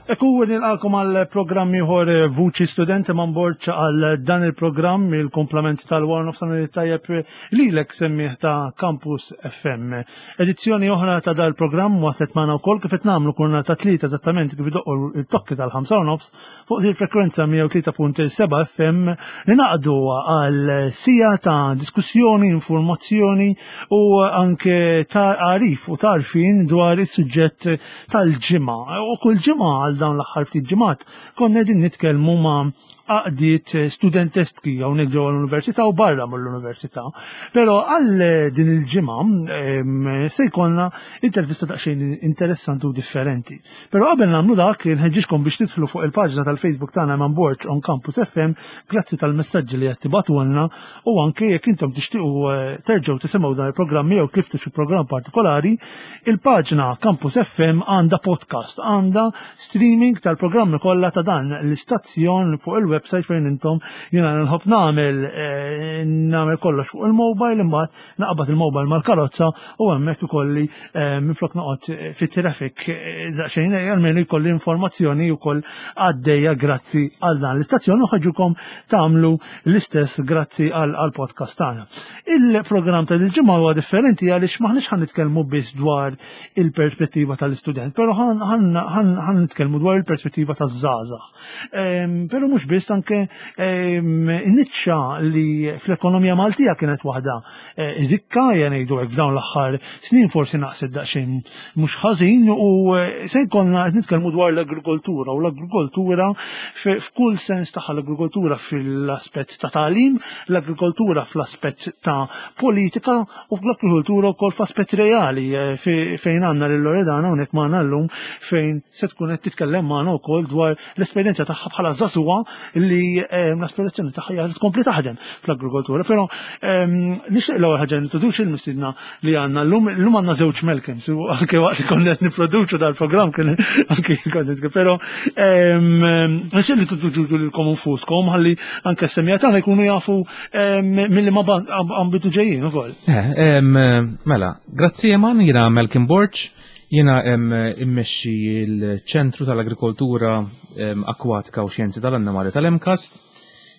Ekku nilqakom għal programm ieħor eh, Vuċi Studenti man Borġ għal dan il-programm il-komplement tal-Warn of Sanil tajjeb lilek semmieħ ta' Campus FM. Edizzjoni oħra ta' dal-programm waslet magħna wkoll kif qed nagħmlu kurna ta' tlieta eżattament kif idoqqu il-tokki tal-5 nofs fuq il-frekwenza 103.7 FM li naqdu għal sija ta' diskussjoni, informazzjoni u anke ta' għarif u tarfin dwar is-suġġett tal-ġimgħa. U kull ġimgħa għal dawn l-aħħar ftit ġimgħat konna qegħdin nitkellmu ma' għaqdiet studentestki hawnhekk ġewwa l-università u barra mill-università. Però għal din il-ġimgħa se jkollna intervista daqsxejn interessanti u differenti. Però qabel nagħmlu dak, nħeġġiġkom biex tidħlu fuq il-paġna tal-Facebook tagħna Eman Borg on Campus FM, grazzi tal-messaġġi li qed tibgħatulna u anke jekk intom tixtiequ eh, terġgħu tisimgħu dan il-programm jew tliftu xi programm partikolari, il-paġna Campus FM għandha podcast, għandha streaming tal-programmi kollha ta' dan l-istazzjon fuq il-website fejn intom jiena nħobb nagħmel eh, nagħmel kollox fuq il-mobile imbagħad naqbad il-mobile mal-karozza u hemmhekk ikolli eh, minflok noqgħod eh, fit-traffic eh, daqsxejn almenu jkolli informazzjoni wkoll għaddejja grazzi għal dan l-istazzjon u ħaġukom tagħmlu l-istess grazzi għal podcast tagħna. Il-programm ta' il-ġimgħa huwa differenti għaliex maħniex ħan nitkellmu biss dwar il-perspettiva tal-istudent, però ħan nitkellmu dwar il-perspettiva taż-żgħażagħ. Ehm, però mhux biss anke ehm, niċċa li fl-ekonomija Maltija kienet waħda eh, rikka ngħidu hekk f'dawn l-aħħar snin forsi naqset daqsxejn mhux ħażin u eh, se jkollna qed nitkellmu dwar l-agrikoltura u l-agrikoltura f'kull sens tagħha l-agrikoltura fil-aspett ta' tagħlim, l-agrikoltura fl-aspett ta' politika u l-agrikoltura wkoll f'aspett reali eh, fejn għandna lil Loredana hawnhekk magħna llum fejn se tkun qed titkellem magħna wkoll dwar l-esperjenza tagħha bħala żagħżugħa li eh, l-aspirazzjoni tagħha hija li tkompli taħdem fl-agrikoltura. Però ehm, nixtieq l-ewwel ħaġa nintroduċi l-mistiedna li għandna llum llum għandna żewġ Malcolms u anke waqt li konna qed nipproduċu dal-programm kien anke kont però ehm, nixtieq li tintroduċu lilkom infuskom ħalli anke s-semija tagħna jkunu jafu ehm, milli ma ambitu ġejjin ukoll. Eh, mela, grazzi Eman, jiena Malcolm Borg, Jiena immexxi l-Ċentru tal-Agrikoltura Akwatika u Xjenzi tal-Annimali tal-MCAST.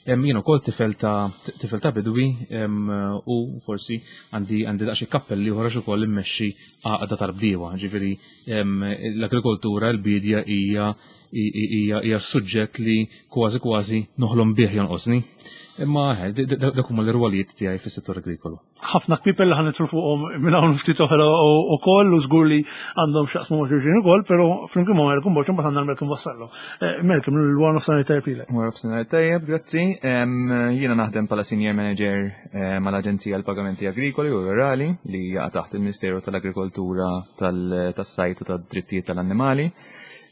Jien ukoll tifel ta' tifel ta' bidwi u forsi għandi għandi daqsxejn kappelli oħra ukoll immexxi għaqda tal-bdiewa. Ġifieri l-agrikoltura, l-biedja hija hija suġġett li kważi kważi noħlom bih jonqosni. Imma eh, dak huma l-irwalijiet tiegħi fis-settur agrikolu. Ħafna kpipel li ħanitru fuqhom minn hawn ftit oħra ukoll u żgur li għandhom x'jaqsmu ma' xulxin ukoll, però flimkien ma' Malcolm Borg imbagħad għandna Malcolm Vassallo. Eh, Malcolm, l-wara nofsinhar tajjeb lilek. Wara nofsinhar tajjeb, grazzi. Jiena naħdem bħala senior manager eh, mal-Aġenzija għall-Pagamenti Agrikoli u Rurali li jaqa' taħt il-Ministeru tal-Agrikoltura tas-Sajt u tad-Drittijiet tal-Annimali.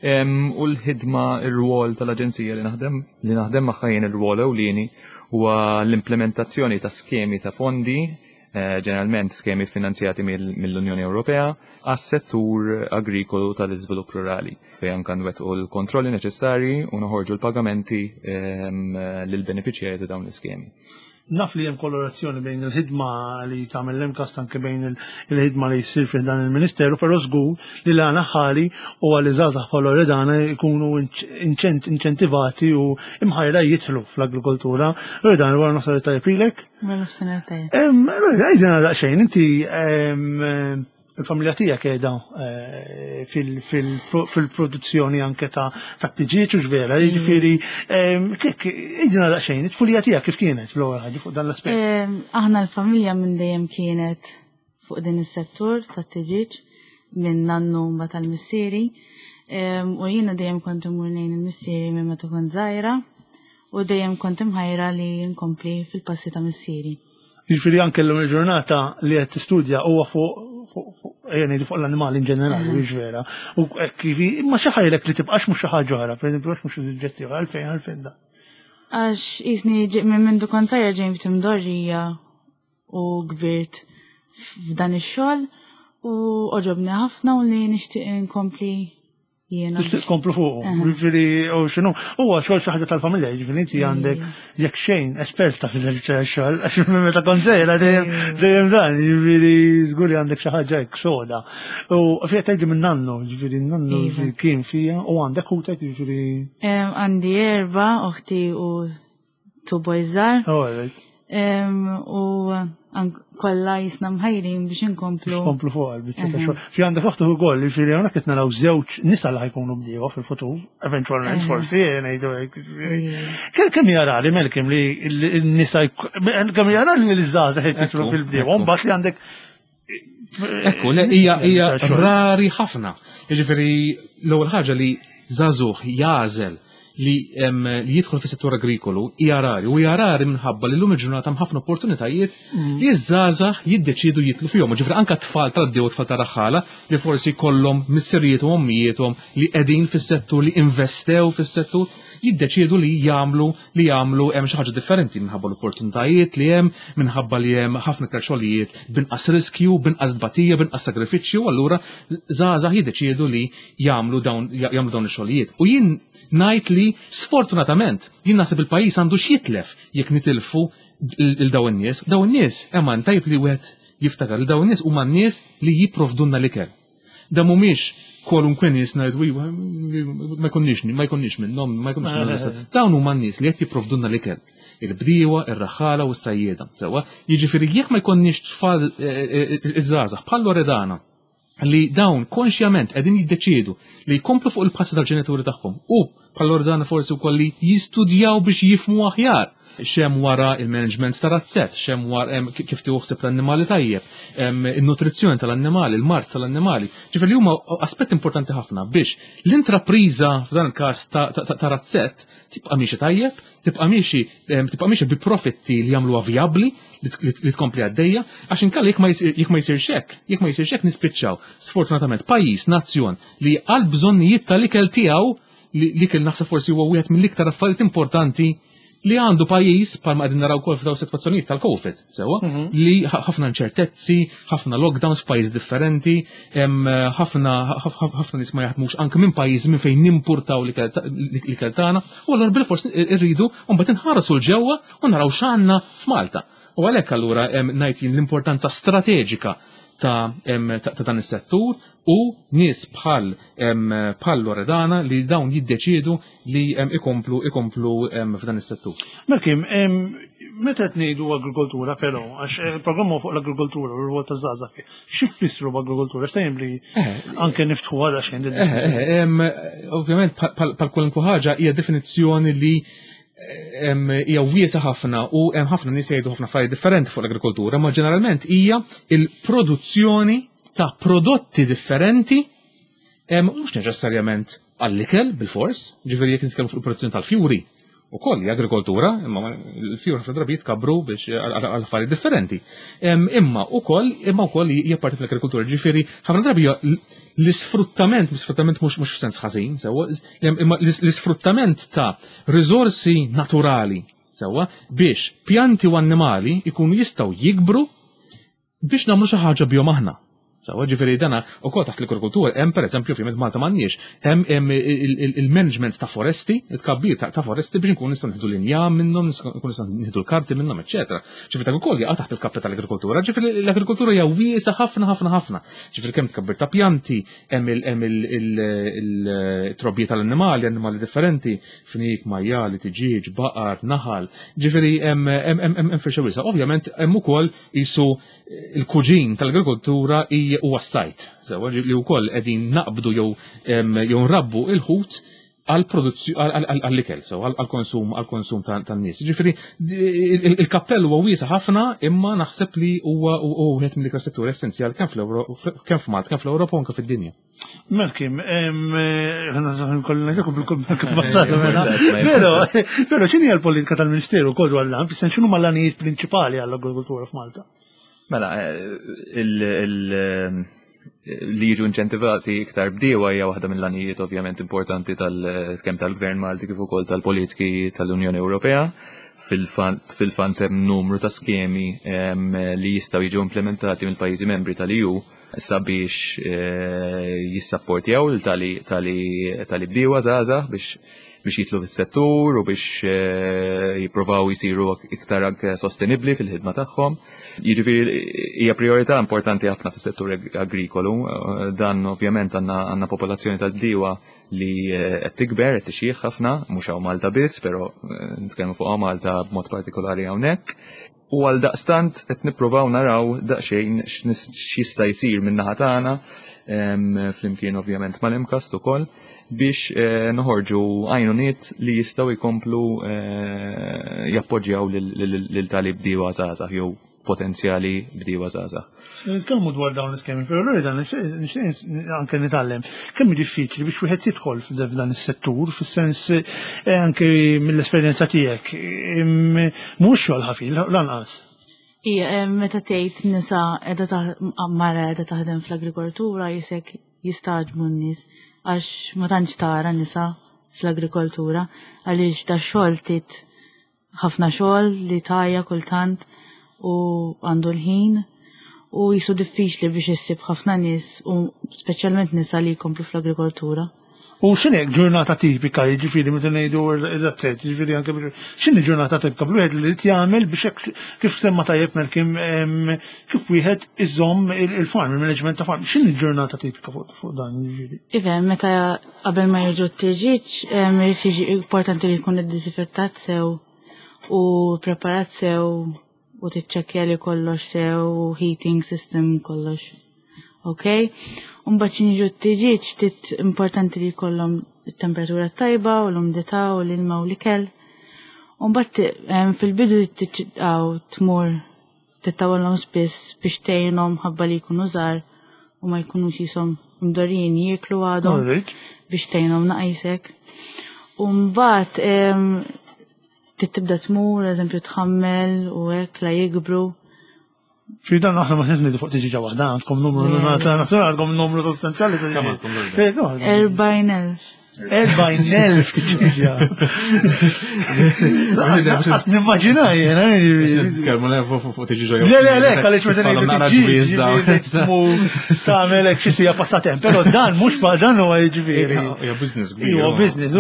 U l-ħidma, ir-rwol tal-aġenzija li naħdem li naħdem magħha jien ir-rwol ewlieni huwa l-implementazzjoni ta' skemi ta' fondi, eh, ġeneralment skemi finanzjati mill-Unjoni Ewropea, għas-settur agrikolu tal-iżvilupp rurali, fejn anke nwettqu l-kontrolli neċessarji u noħorġu l-pagamenti lill-benefiċjarji ta' dawn l-iskemi. Naf li hemm kolorazzjoni bejn il-ħidma li tagħmel l-MCAST anke bejn il-ħidma li jsir fih dan il-Ministeru, però żgur li l-għana ħali u għal żgħażagħ bħal Loredana jkunu inċentivati u imħajra jidħlu fl-agrikoltura. Loredana, wara nofsinhar tajjeb lilek. Wara nofsinhar tajjeb. Loredana, għidilna daqsxejn, inti il-familja tiegħek qiegħda eh, fil-produzzjoni anke ta' tiġieġ u x'vera, mm. jiġifieri ehm, idina daqsxejn, it-tfulija tiegħek kif kienet fl-ewwel ħaġa fuq dan l-aspett? Ehm, aħna l-familja minn dejjem kienet fuq din is-settur tat-tiġieġ minn nannu ma tal-missieri ehm, u jiena dejjem kont imur lejn il-missieri minn meta kont żgħira u dejjem kont imħajra li nkompli fil-passi ta' missieri. Jiġifieri anke llum il-ġurnata li qed tistudja huwa fuq ejja ngħidu fuq l-annimali in ġenerali, mm. mhux vera. U hekk imma xi ħajlek li tibqax mhux xi ħaġa oħra, pereżempju għax mhux suġġetti oħra, għalfejn għalfejn da. Għax jisni minn mindu kont sajra ġejn ftit imdorrija u kbirt f'dan ix-xogħol u oġobni ħafna u li nixtieq inkompli. Jiena. Tixtieq tkomplu fuqu, jiġifieri u x'inhu. Huwa xogħol xi ħaġa tal-familja, jiġifieri inti għandek jekk xejn esperta fil-xogħol, għax minn meta kont sejra dejjem dejjem dan, jiġifieri żgur li għandek xi ħaġa hekk soda. U fiha tgħidli minn nannu, jiġifieri nannu iva. kien fija u għandek ħutek jiġifieri. Għandi erba' oħti u two boys żgħar. Oh, right. U kollha jisna mħajrin biex inkomplu. Biex komplu fuq għal-biċċa ta' xogħol. Fi għandek oħtu ukoll, jiġifieri hawnhekk qed naraw żewġ nisa li ħajkunu bdiewa fil-futur, eventwalment forsi ngħidu hekk. Kemm hija rari Melkim li n-nisa kemm hija rari li l-żgħażagħ jidħlu fil-bdiewa, mbagħad li għandek Ekku, le, hija hija rari ħafna. Jiġifieri l-ewwel ħaġa li żagħżugħ jagħżel li li jidħol fis-settur agrikolu hija rari u hija rari minħabba li llum il-ġurnata hemm ħafna opportunitajiet mm. li ż-żgħażagħ jiddeċiedu jitlu fihom. Ġifieri anke tfal tal-bdew tfal tar-raħħala li forsi kollhom missirijiet u ommijiethom li qegħdin fis-settur li investew fis-settur jiddeċiedu li jagħmlu li jagħmlu hemm xi ħaġa differenti minħabba l-opportunitajiet li hemm, minħabba li hemm ħafna iktar xogħlijiet b'inqas riskju, b'inqas tbatija, b'inqas sagrifiċċju, allura żgħażagħ jiddeċiedu li jagħmlu dawn jagħmlu dawn ix-xogħlijiet. U jien ngħid li sfortunatament jien naħseb il-pajjiż għandu x'jitlef jekk nitilfu il dawn in-nies. Dawn in-nies hemm tajb li wieħed jiftakar li dawn in-nies huma n-nies li jipprovdulna l-ikel. Da mhumiex kwalunkwe nies ngħidu iva, ma jkunniex ma jkunniex minnhom, ma jkunniex minnhom. Dawn huma n-nies li qed jipprovdulna l-ikel. Il-bdiewa, ir-raħħala u s-sajjieda. Sewwa, jiġifieri jekk ma jkollniex tfal eh, eh, eh, iż-żgħażagħ bħal Loredana li dawn konxjament qegħdin jiddeċiedu li jkomplu fuq il-passi tal-ġenituri tagħhom u bħal Loredana forsi wkoll li jistudjaw biex jifhmu aħjar xem wara il-management ta' razzett, xem wara kif tieħu ħsieb tal-annimali tajjeb, in-nutrizzjoni tal-annimali, il-mard tal-annimali. Ġifieri li huma aspett importanti ħafna biex l-intrapriża f'dan il-każ ta' razzett tibqa' miexi tajjeb, tibqa' miexi tibqa' miexi bi profitti li jagħmluha vijabbli li tkompli għaddejja, għax inkella jekk ma jsirx hekk, jekk ma jsirx hekk nispiċċaw sfortunatament pajjiż, nazzjon li għal bżonnijiet tal-ikel tiegħu li l-ikel naħseb forsi huwa wieħed mill-iktar affarijiet importanti li għandu pajjiż bħalma qegħdin naraw ukoll f'daw sitwazzjonijiet tal-COVID, sewwa, mhm. li ħafna inċertezzi, ħafna lockdowns f'pajjiż differenti, ħafna ħafna nies ma jaħdmux anke minn pajjiż minn fejn nimpurtaw l-ikel tagħna, u allura bil-fors irridu mbagħad inħarsu l-ġewwa u naraw x'għandna f'Malta. U għalhekk allura ngħid jien l-importanza strateġika ta' ta' dan is-settur u nies bħal bħal Loredana li dawn jiddeċiedu li ikomplu ikomplu f'dan is-settur. Malkim, meta qed ngħidu agrikoltura però, għax il-programm fuq l-agrikoltura u r-rwol taż-żgħażagħ, xi fissru b'agrikoltura? X'tajjem li eh, anke niftħu għadha xejn. Eh, eh, ovvjament bħal kwalunkwe ħaġa hija definizzjoni li hija wiesa ħafna u hemm ħafna nies jgħidu ħafna affarijiet differenti fuq l-agrikoltura, ma ġeneralment hija il-produzzjoni ta' prodotti differenti mhux neċessarjament għall-ikel bil-fors, ġifieri jekk nitkellmu fuq il-produzzjoni tal-fjuri, ukoll hija agrikoltura, imma l-fjur ħafna drabi jitkabru biex għal affarijiet differenti. Imma ukoll imma wkoll hija parti mill-agrikoltura, ġifieri ħafna drabi l-isfruttament, l-isfruttament mhux mhux f'sens ħażin, sewwa, imma l-isfruttament ta' riżorsi naturali, sewwa, biex pjanti u annimali jkunu jistgħu jikbru biex nagħmlu xi ħaġa bihom aħna. Sawa ġifieri dana ukoll taħt l-agrikoltura hemm pereżempju ovvjament Malta m'għandniex, hemm il-management ta' foresti, it-tkabbir ta' foresti biex nkunu nistgħu nieħdu l-injam minnhom, nkunu nistgħu nieħdu l-karti minnhom, eċċetera. Ġifieri dak ukoll jaqa' taħt il-kappa tal-agrikoltura, ġifieri l-agrikoltura hija wiesa ħafna ħafna ħafna. Ġifieri kemm tkabbir ta' pjanti, hemm il-trobbija tal-annimali, annimali differenti, fnik, majjali, tiġieġ, baqar, naħal. Ġifieri hemm firxa wiesa. Ovvjament hemm ukoll Qisu l-kuġin tal-agrikoltura huwa s-sajd, sewwa li wkoll qegħdin naqbdu jew jew nrabbu il-ħut għall-ikel, so għall-konsum għall-konsum tan-nies. Ġifieri il-kappell huwa wiesa' ħafna imma naħseb li huwa wieħed mill-iktar setturi essenzjali kemm kemm f'Malta, kemm fl-Ewropa u anke fid-dinja. Melkim, Pero, pero x'inhi l-politika tal-Ministeru kol dwar l-għan, fis x'inhu mal-għanijiet prinċipali għall-agrikoltura f'Malta? Mela, li jiġu inċentivati iktar bdiewa hija waħda mill-għanijiet ovvjament importanti tal-kemm tal-Gvern Malti kif ukoll tal-politiki tal-Unjoni Ewropea. Fil-fatt hemm numru ta' skemi li jistgħu jiġu implementati mill-pajjiżi membri tal-EU. sabiex jissapportjaw lil tali bdiewa żgħażagħ biex biex jitlu fis-settur u biex jippruvaw jsiru iktar anke sostenibbli fil-ħidma tagħhom. Jiġifieri hija priorità importanti ħafna fis-settur agrikolu. Dan ovvjament għandna popolazzjoni tal-bdiewa li qed tikber, qed tixjieħ ħafna, mhux hawn Malta biss, però nitkellmu fuq hawn Malta b'mod partikolari hawnhekk. U għal daqstant qed nippruvaw naraw daqsxejn x'jista' jsir min-naħa tagħna flimkien ovvjament mal-MCAST ukoll biex eh, noħorġu għajnuniet li jistgħu jkomplu eh, jappoġġjaw lil tali bdiewa żgħażagħ jew potenzjali bdiewa żgħażagħ. Nitkellmu dwar dawn l-iskemi, però l dan nixtieq anke nitgħallem kemm diffiċli biex wieħed jidħol f'dan is-settur, fis-sens eh, anke mill-esperjenza tiegħek. Mhux xogħol ħafil lanqas. Ija, eh, meta tgħid nisa qiegħda mara qiegħda taħdem fl-agrikoltura jisek jistaġbu n-nies għax ma tantx tara nisa fl-agrikoltura għaliex da xogħol tit ħafna xogħol li tajja kultant u għandu l-ħin u jisu diffiċli biex issib ħafna nies u speċjalment nisa li jkomplu fl-agrikoltura. U x'inhi ġurnata tipika, jiġifieri meta ngħidu ir-razzett, jiġifieri anke x'inhi ġurnata tipika bl-wieħed li jrid jagħmel biex kif semma tajjeb Melkim kif wieħed iżomm il-farm, il-management ta' farm, x'inhi ġurnata tipika fuq dan jiġifieri? Iva, meta qabel ma jiġu t-tiġiġ, irid jiġi importanti li jkun iddisinfettat sew u preparat sew u tiċċekkja li kollox sew u heating system kollox. Ok? Umbagħad xi jiġu t-tiġiġ tit importanti li jkollhom it-temperatura tajba u l-umdità u l-ilma u l-ikel. Umbagħad fil-bidu tiċċaw tmur tittawalhom spiss biex tgħinhom ħabba li jkunu żgħar u ma jkunux jisom mdorrijin jieklu għadhom biex tgħinhom naqisek. U mbagħad tibda tmur, eżempju tħammel u hekk la jikbru. Fi dan aħna ma ngħidu fuq tiġiġa waħda, għandkom numru għandkom numru sostanzjali ta' 40,000. 40,000 tiġiġa. Għat nimmaġina jena. Kelmu le fuq tiġiġa. Le, le, le, għalix meta ngħidu tiġiġa. Tagħmel hekk xi sija passatemp, però dan mhux pa dan huwa jiġifieri. Hija business kbir. Huwa business, u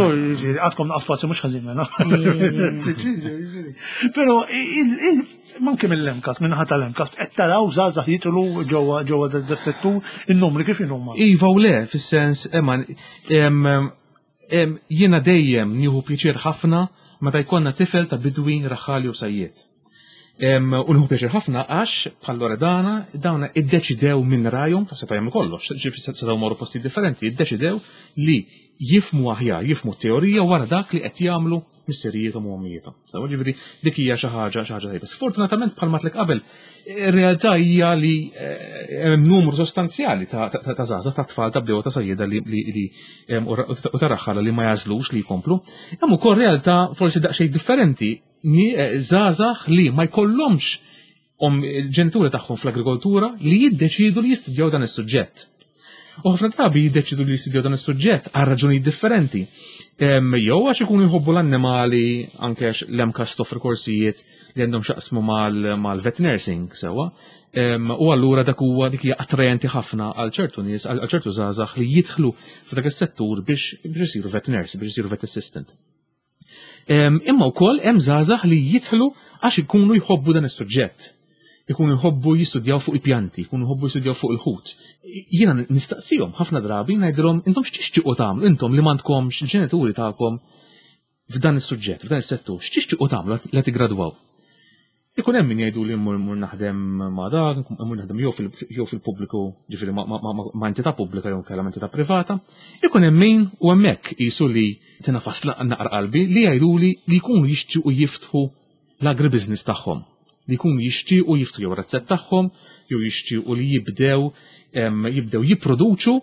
għadkom naqas spazju mhux ħażin mela. Però manke mill-MCAST, minn ħadd tal-MCAST, qed taraw żgħażagħ jidħlu ġewwa ġewwa dat-settur, in-numri kif inhuma. Iva u le, fis-sens, Eman, jiena dejjem nieħu pjaċir ħafna meta jkollna tifel ta' bidwi raħħali u sajjied. U nieħu pjaċir ħafna għax bħal Loredana dawna iddeċidew minn rajhom, ta' seta' jagħmlu kollox, ġifieri setgħu morru postijiet differenti, iddeċidew li jifhmu aħjar, jifhmu t-teorija wara dak li qed jagħmlu missirijiethom u ommijiethom. Sewa ġifieri dik hija xi ħaġa xi ħaġa tajba. Sfortunatament bħalma tlek qabel, ir-realtà hija li eh, hemm numru sostanzjali ta' żgħażagħ ta' tfal ta' bdew ta' sajjieda li u ta' raħħala li ma jażlux li jkomplu. Hemm ukoll realtà forsi daqsxejn differenti eh, żgħażagħ li ma jkollhomx om il-ġenituri tagħhom fl-agrikoltura li jiddeċidu li jistudjaw dan is-suġġett. U ħafna drabi jiddeċidu li jistudjaw dan is-suġġett għal raġunijiet differenti. Jew għax ikunu jħobbu l-annimali anke għax l-MCAST toffri korsijiet li għandhom xaqsmu mal-vet nursing sewwa. U allura dak huwa dik hija attrajenti ħafna għal ċertu nies, għal ċertu żgħażagħ li jidħlu f'dak is-settur biex isiru vet nurse, biex isiru vet assistant. Imma wkoll hemm żgħażagħ li jidħlu għax ikunu jħobbu dan is-suġġett. Ikunu jħobbu jistudjaw fuq il-pjanti, ikunu jħobbu jistudjaw fuq il-ħut. Jiena nistaqsihom ħafna drabi ngħidilhom intom x'tixtiequ tagħmlu intom li m'għandkomx il-ġenituri tagħkom f'dan is-suġġett, f'dan is-settur, x'tixtiequ tagħmlu la tiggradwaw? Ikun hemm min jgħidu li mmur mmur naħdem ma' dak, mmur naħdem jew fil-pubbliku, ġifieri ma' entità pubblika jew inkella ma' entità privata. Ikun hemm min u hemmhekk qisu li tinafas naqra qalbi li jgħiduli li jkunu jixtiequ jiftħu l-agribusiness tagħhom. Li jkunu jixtiequ jiftħu jew razzett tagħhom, jew jixtiequ li jibdew jibdew jipproduċu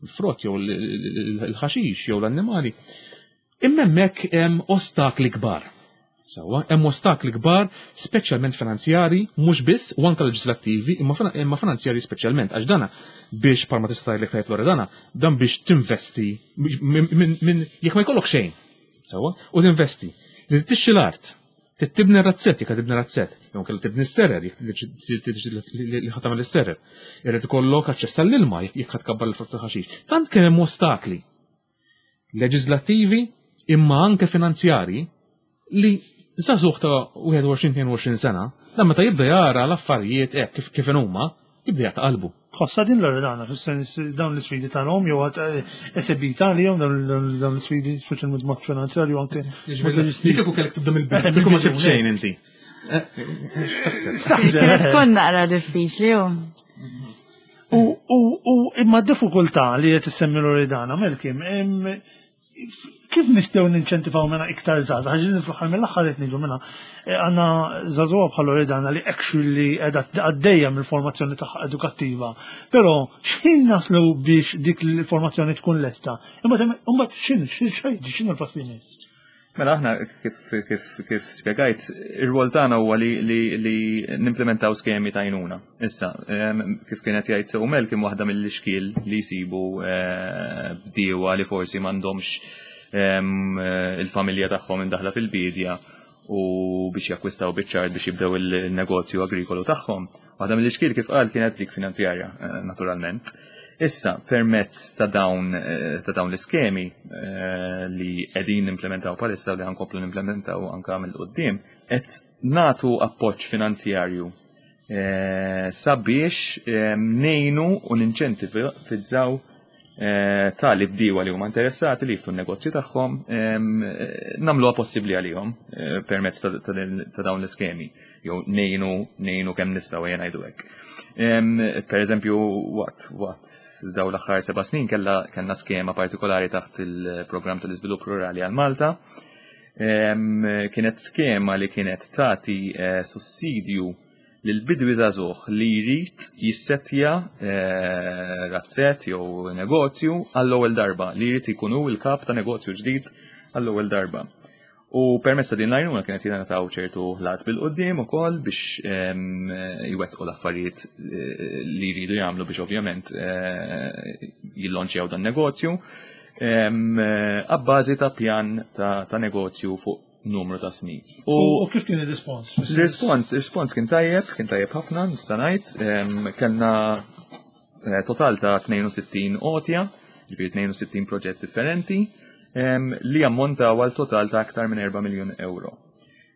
l-frott jew l-ħaxix jew l-annimali. Imma hemmhekk hemm ostakli kbar. Sewwa, hemm ostakli kbar, speċjalment finanzjari, mhux biss, u anke leġislattivi, imma finanzjari speċjalment, għax dana biex bħalma tista' tgħidlek tajjeb Loredana, dan biex tinvesti minn jekk ma jkollok xejn, sewwa, u tinvesti li tixxi l-art, Trid tibni razzett jekk tibni razzett, jew kellha tibni s-serer jekk li ħa tagħmel is-serer. Irid ikollok aċċess għall-ilma jekk ħa tkabbar il-frott ħaxix. Tant kien hemm ostakli leġislattivi imma anke finanzjarji li żagħżugħ ta' 21-22 sena, dan meta jibda jara l-affarijiet hekk kif kif huma, jibda jaqta' qalbu. Tħossha din Loredana, fis-sens dawn l-isfidi tagħhom jew għad eh, esebita għalihom dawn l-isfidi speċjalment mod finanzjarju anke. Dik kieku kellek tibda mill-bidu, eh, kieku ma sibt xejn inti. Eh, Kienet tkun naqra diffiċli u. U imma diffikultà li qed issemmi Loredana, Melkim, kif nistgħu ninċentivaw mena iktar żgħażagħ? Għax fl-aħħar mill-aħħar qed ngħidu mela eh, għandna żagħżugħa bħal Loredana li actually qiegħda għaddejja mill-formazzjoni tagħha edukattiva. Però x'ħin naslu biex dik l-formazzjoni tkun lesta? Imbagħad imbagħad x'in x'in l-pass li jmiss? Mela aħna kif kif kif spjegajt, ir-rwol tagħna huwa li li li nimplementaw skemi ta' għajnuna. Issa, kif kienet jgħid sew Mel kien waħda mill-ixkiel li jsibu eh, bdiewa li forsi m'għandhomx il-familja tagħhom indaħla fil-bidja u biex jakkwistaw biċ-ċart biex jibdew il-negozju agrikolu tagħhom. Waħda mill-ixkiel kif qal kienet dik finanzjarja, eh, naturalment. Issa, permezz ta' dawn eh, ta' dawn l-iskemi eh, li qegħdin nimplementaw palissa u li ħankomplu nimplementaw anka mill-qudiem, qed natu appoġġ finanzjarju sabiex nejnu u ninċentivizzaw tali bdiewa li huma interessati li jiftu n-negozju tagħhom nagħmluha possibbli għalihom permezz ta' dawn l-iskemi jew ngħinu ngħinu kemm nistgħu ejja ngħidu hekk. Per eżempju, waqt waqt dawn l-aħħar seba' snin kellha kellna skema partikolari taħt il-programm tal-iżvilupp rurali għal Malta. Kienet skema li kienet tagħti sussidju lil bidwi żagħżugħ li jrid jissettja eh, razzett jew negozju għall-ewwel darba, li jrid ikun hu l-kap ta' negozju ġdid għall-ewwel darba. U permezz ta' din l-għajnuna kienet jingħataw ċertu ħlas bil-qudiem ukoll biex ehm, jwettqu l-affarijiet eh, li jridu jagħmlu biex ovvjament eh, jillonċjaw dan negozju ehm, abbażi ta' pjan ta' negozju fuq numru ta' snin. U kif kien il-rispons? Il-rispons, il-rispons kien tajjeb, kien tajjeb ħafna, nista' ngħid. Kellna eh, total ta' 62 għotja, ġifieri 62 proġett differenti, li ammontaw għal total ta' aktar minn 4 miljun euro.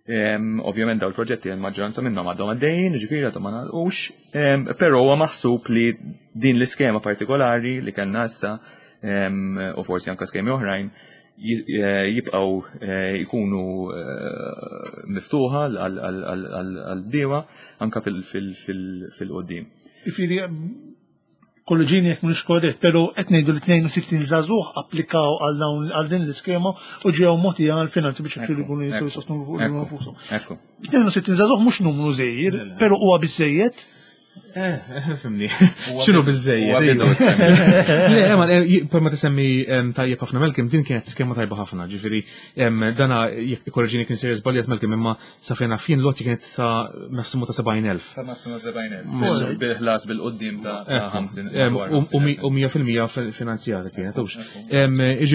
Ovvjament daw il-proġetti il-maġġoranza minnhom għadhom għaddejjin, ġifieri għadhom ma nagħlqux, però huwa maħsub li din l-iskema partikolari li kellna issa u forsi anke skemi oħrajn jibqgħu eh, jkunu eh, miftuħa għal-bdiewa anka fil-qoddim. Ifiri, kolleġini jekk mhux korrett, però qed ngħidu li 62 żagħżugħ applikaw għal dawn għal din l-iskema u ġew mogħtija għal finanzi biex jixtru jkunu jistgħu jsostnu nfushom. 62 żagħżugħ mhux numru żgħir, però huwa biżejjed. Eh, eh, fimni. Xinu bizzejjed? Le, ma eh, per ma tisemmi tajjeb ħafna Melkim, din kienet skema tajba ħafna, ġifiri, dana jekk korreġini kien serja żbaljat Melkim, imma sa fejn fin loti kienet ta' massimu ta' 70,000. Ta' massimu 70,000. Bil-ħlas bil-qoddim ta' 50. U 100% finanzjata kienet, hux.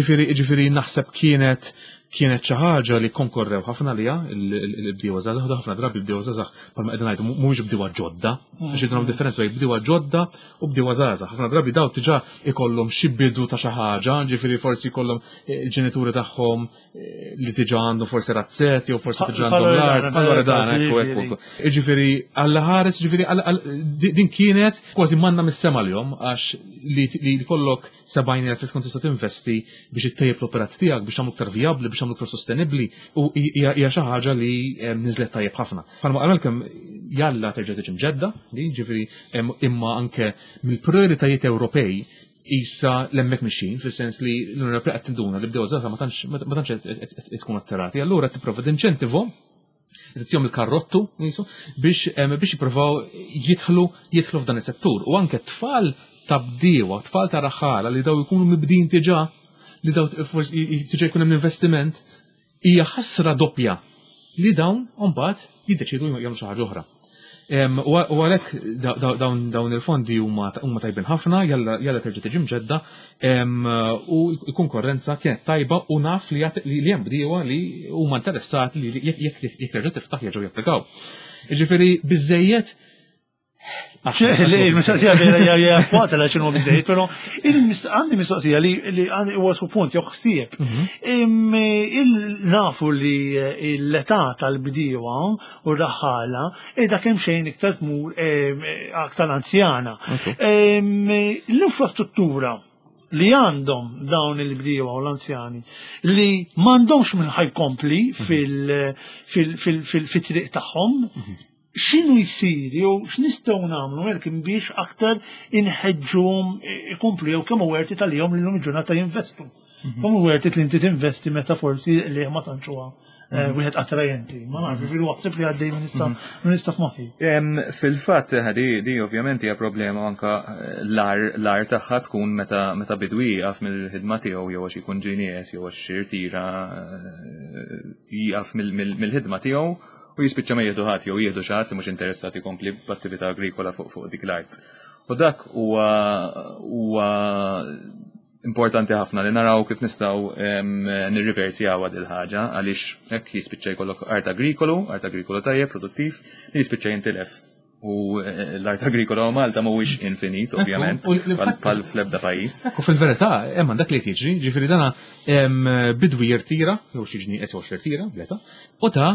Ġifiri, naħseb kienet Kienet xi ħaġa li konkorrew ħafna għaliha l-bdiewa żgħażagħ, u ħafna drabi l-bdiewa żgħażagħ bħalma qegħdin ngħidu mhumiex bdiewa ġodda, għax jidhom differenza bejn bdiewa ġodda u bdiewa żgħażagħ. Ħafna drabi daw diġà ikollhom xi bidu ta' xi ħaġa, ġifieri forsi jkollhom eh, il-ġenituri tagħhom eh, li diġà għandu forsi razzett jew forsi diġà għandhom l-art, bħal dan ekku ekku. Ġifieri Alla ħares, ġifieri din kienet kważi manna mis-sema l-jom għax li kollok 70,000 li tkun tista' tinvesti biex ittejjeb l-operat tiegħek, biex tagħmlu iktar vijabbli, biex tagħmlu iktar sostenibbli u hija xi ħaġa li niżlet tajjeb ħafna. Bħalma qal kemm jalla terġa' tiġi mġedda, ġifieri imma anke mill-prioritajiet Ewropej isa l-emmek mixin, fis-sens li l-Unjoni Ewropea qed tinduna li bdew żgħażagħ ma tantx qed tkun attirati. Allura tipprova tinċentivhom tihom il-karrottu jisu, biex biex jippruvaw jidħlu jidħlu f'dan is-settur. U anke tfal ta' bdiewa, tfal ta' raħala li daw ikunu mibdin diġà, li daw forsi diġà jkun hemm investiment, hija ħasra doppja li dawn mbagħad jiddeċiedu jagħmlu xi ħaġa oħra. U għalhekk dawn il-fondi huma tajbin ħafna, jalla terġa' tiġi mġedda, u l-konkurrenza kienet tajba u naf li hemm bdiewa li huma interessati li jekk terġa' tiftaħ jerġgħu japplikaw. Jiġifieri biżejjed Il-mistoqsija vera hija waqt la x'inhu biżejjed, però għandi mistoqsija li għandi huwa su punt jew ħsieb. Mhm. Nafu li l-età tal-bdiewa u r-raħħala qiegħda kemm xejn iktar tmur aktar anzjana. L-infrastruttura li għandhom dawn il-bdiewa u l-anzjani li m'għandhomx minn ħajkompli mhm. fil-triq tagħhom, mhm. x'inhu jsir jew x'nistgħu nagħmlu Malcolm biex aktar inħeġġuhom ikomplu jew kemm hu worth it għalihom li llum il-ġurnata jinvestu. Mhm. Kemm hu worth it li inti tinvesti meta forsi li ma tantx huwa eh, mhm. wieħed attrajenti. Ma nafx, mhm. fil ħsib li għaddej minn issa minn issa f'moħħi. Fil-fatt eh, di ovvjament hija problema anka eh, l-ar tagħha tkun meta meta bidwi jieqaf mill-ħidma tiegħu jew għax ikun ġie jew għax irtira jieqaf mill-ħidma tiegħu u jispiċċa ma jieħdu ħadd jew jieħdu xi ħadd li mhux interessat jkompli b'attività agrikola fuq fuq dik l-art. U dak huwa huwa importanti ħafna li naraw kif nistgħu nirriversjaw dil ħaġa għaliex hekk jispiċċa jkollok art agrikolu, art agrikolu tajjeb, produttiv, li jispiċċa jintilef. U eh, l-art agrikola u Malta mhuwiex infinit, ovvjament, bħal fl-ebda pajjiż. Ekku fil-verità, hemm dak li jiġri, ġifieri dana bidwi jirtira, jew xi ġni qed jirtira, bleta, u ta'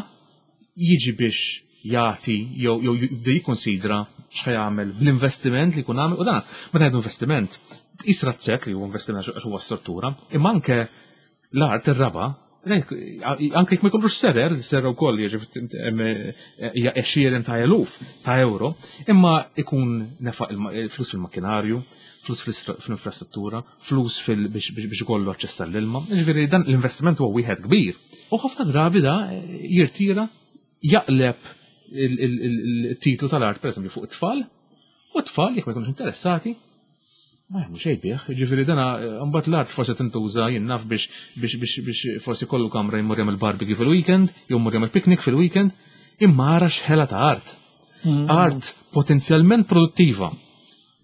jiġi biex jagħti jew jew jibda jikkonsidra x'ħajamel bl-investiment li jkun għamel u dan meta ngħidu investiment, tqis razzett li huwa investiment għax huwa struttura, imma anke l-art ir-raba' anke jekk ma jkollux serer, serer ukoll hija għexieren ta' eluf ta' euro, imma ikun nefaq flus fil-makkinarju, flus fl-infrastruttura, flus biex ikollu aċċess tal-ilma. Ġifieri dan l-investiment huwa wieħed kbir. U ħafna drabi da jirtira jaqleb il-titlu tal-art pereżempju fuq it-tfal, u t-tfal jekk ma jkunux interessati, ma jagħmlu xejn bih. Ġifieri dana mbagħad l-art forsi tintuża jien naf biex biex biex biex forsi kollu kamra jmur jagħmel barbecue fil-weekend, jew jmur jagħmel picnic fil-weekend, imma ara x'ħela ta' art. Mm. Art potenzjalment produttiva.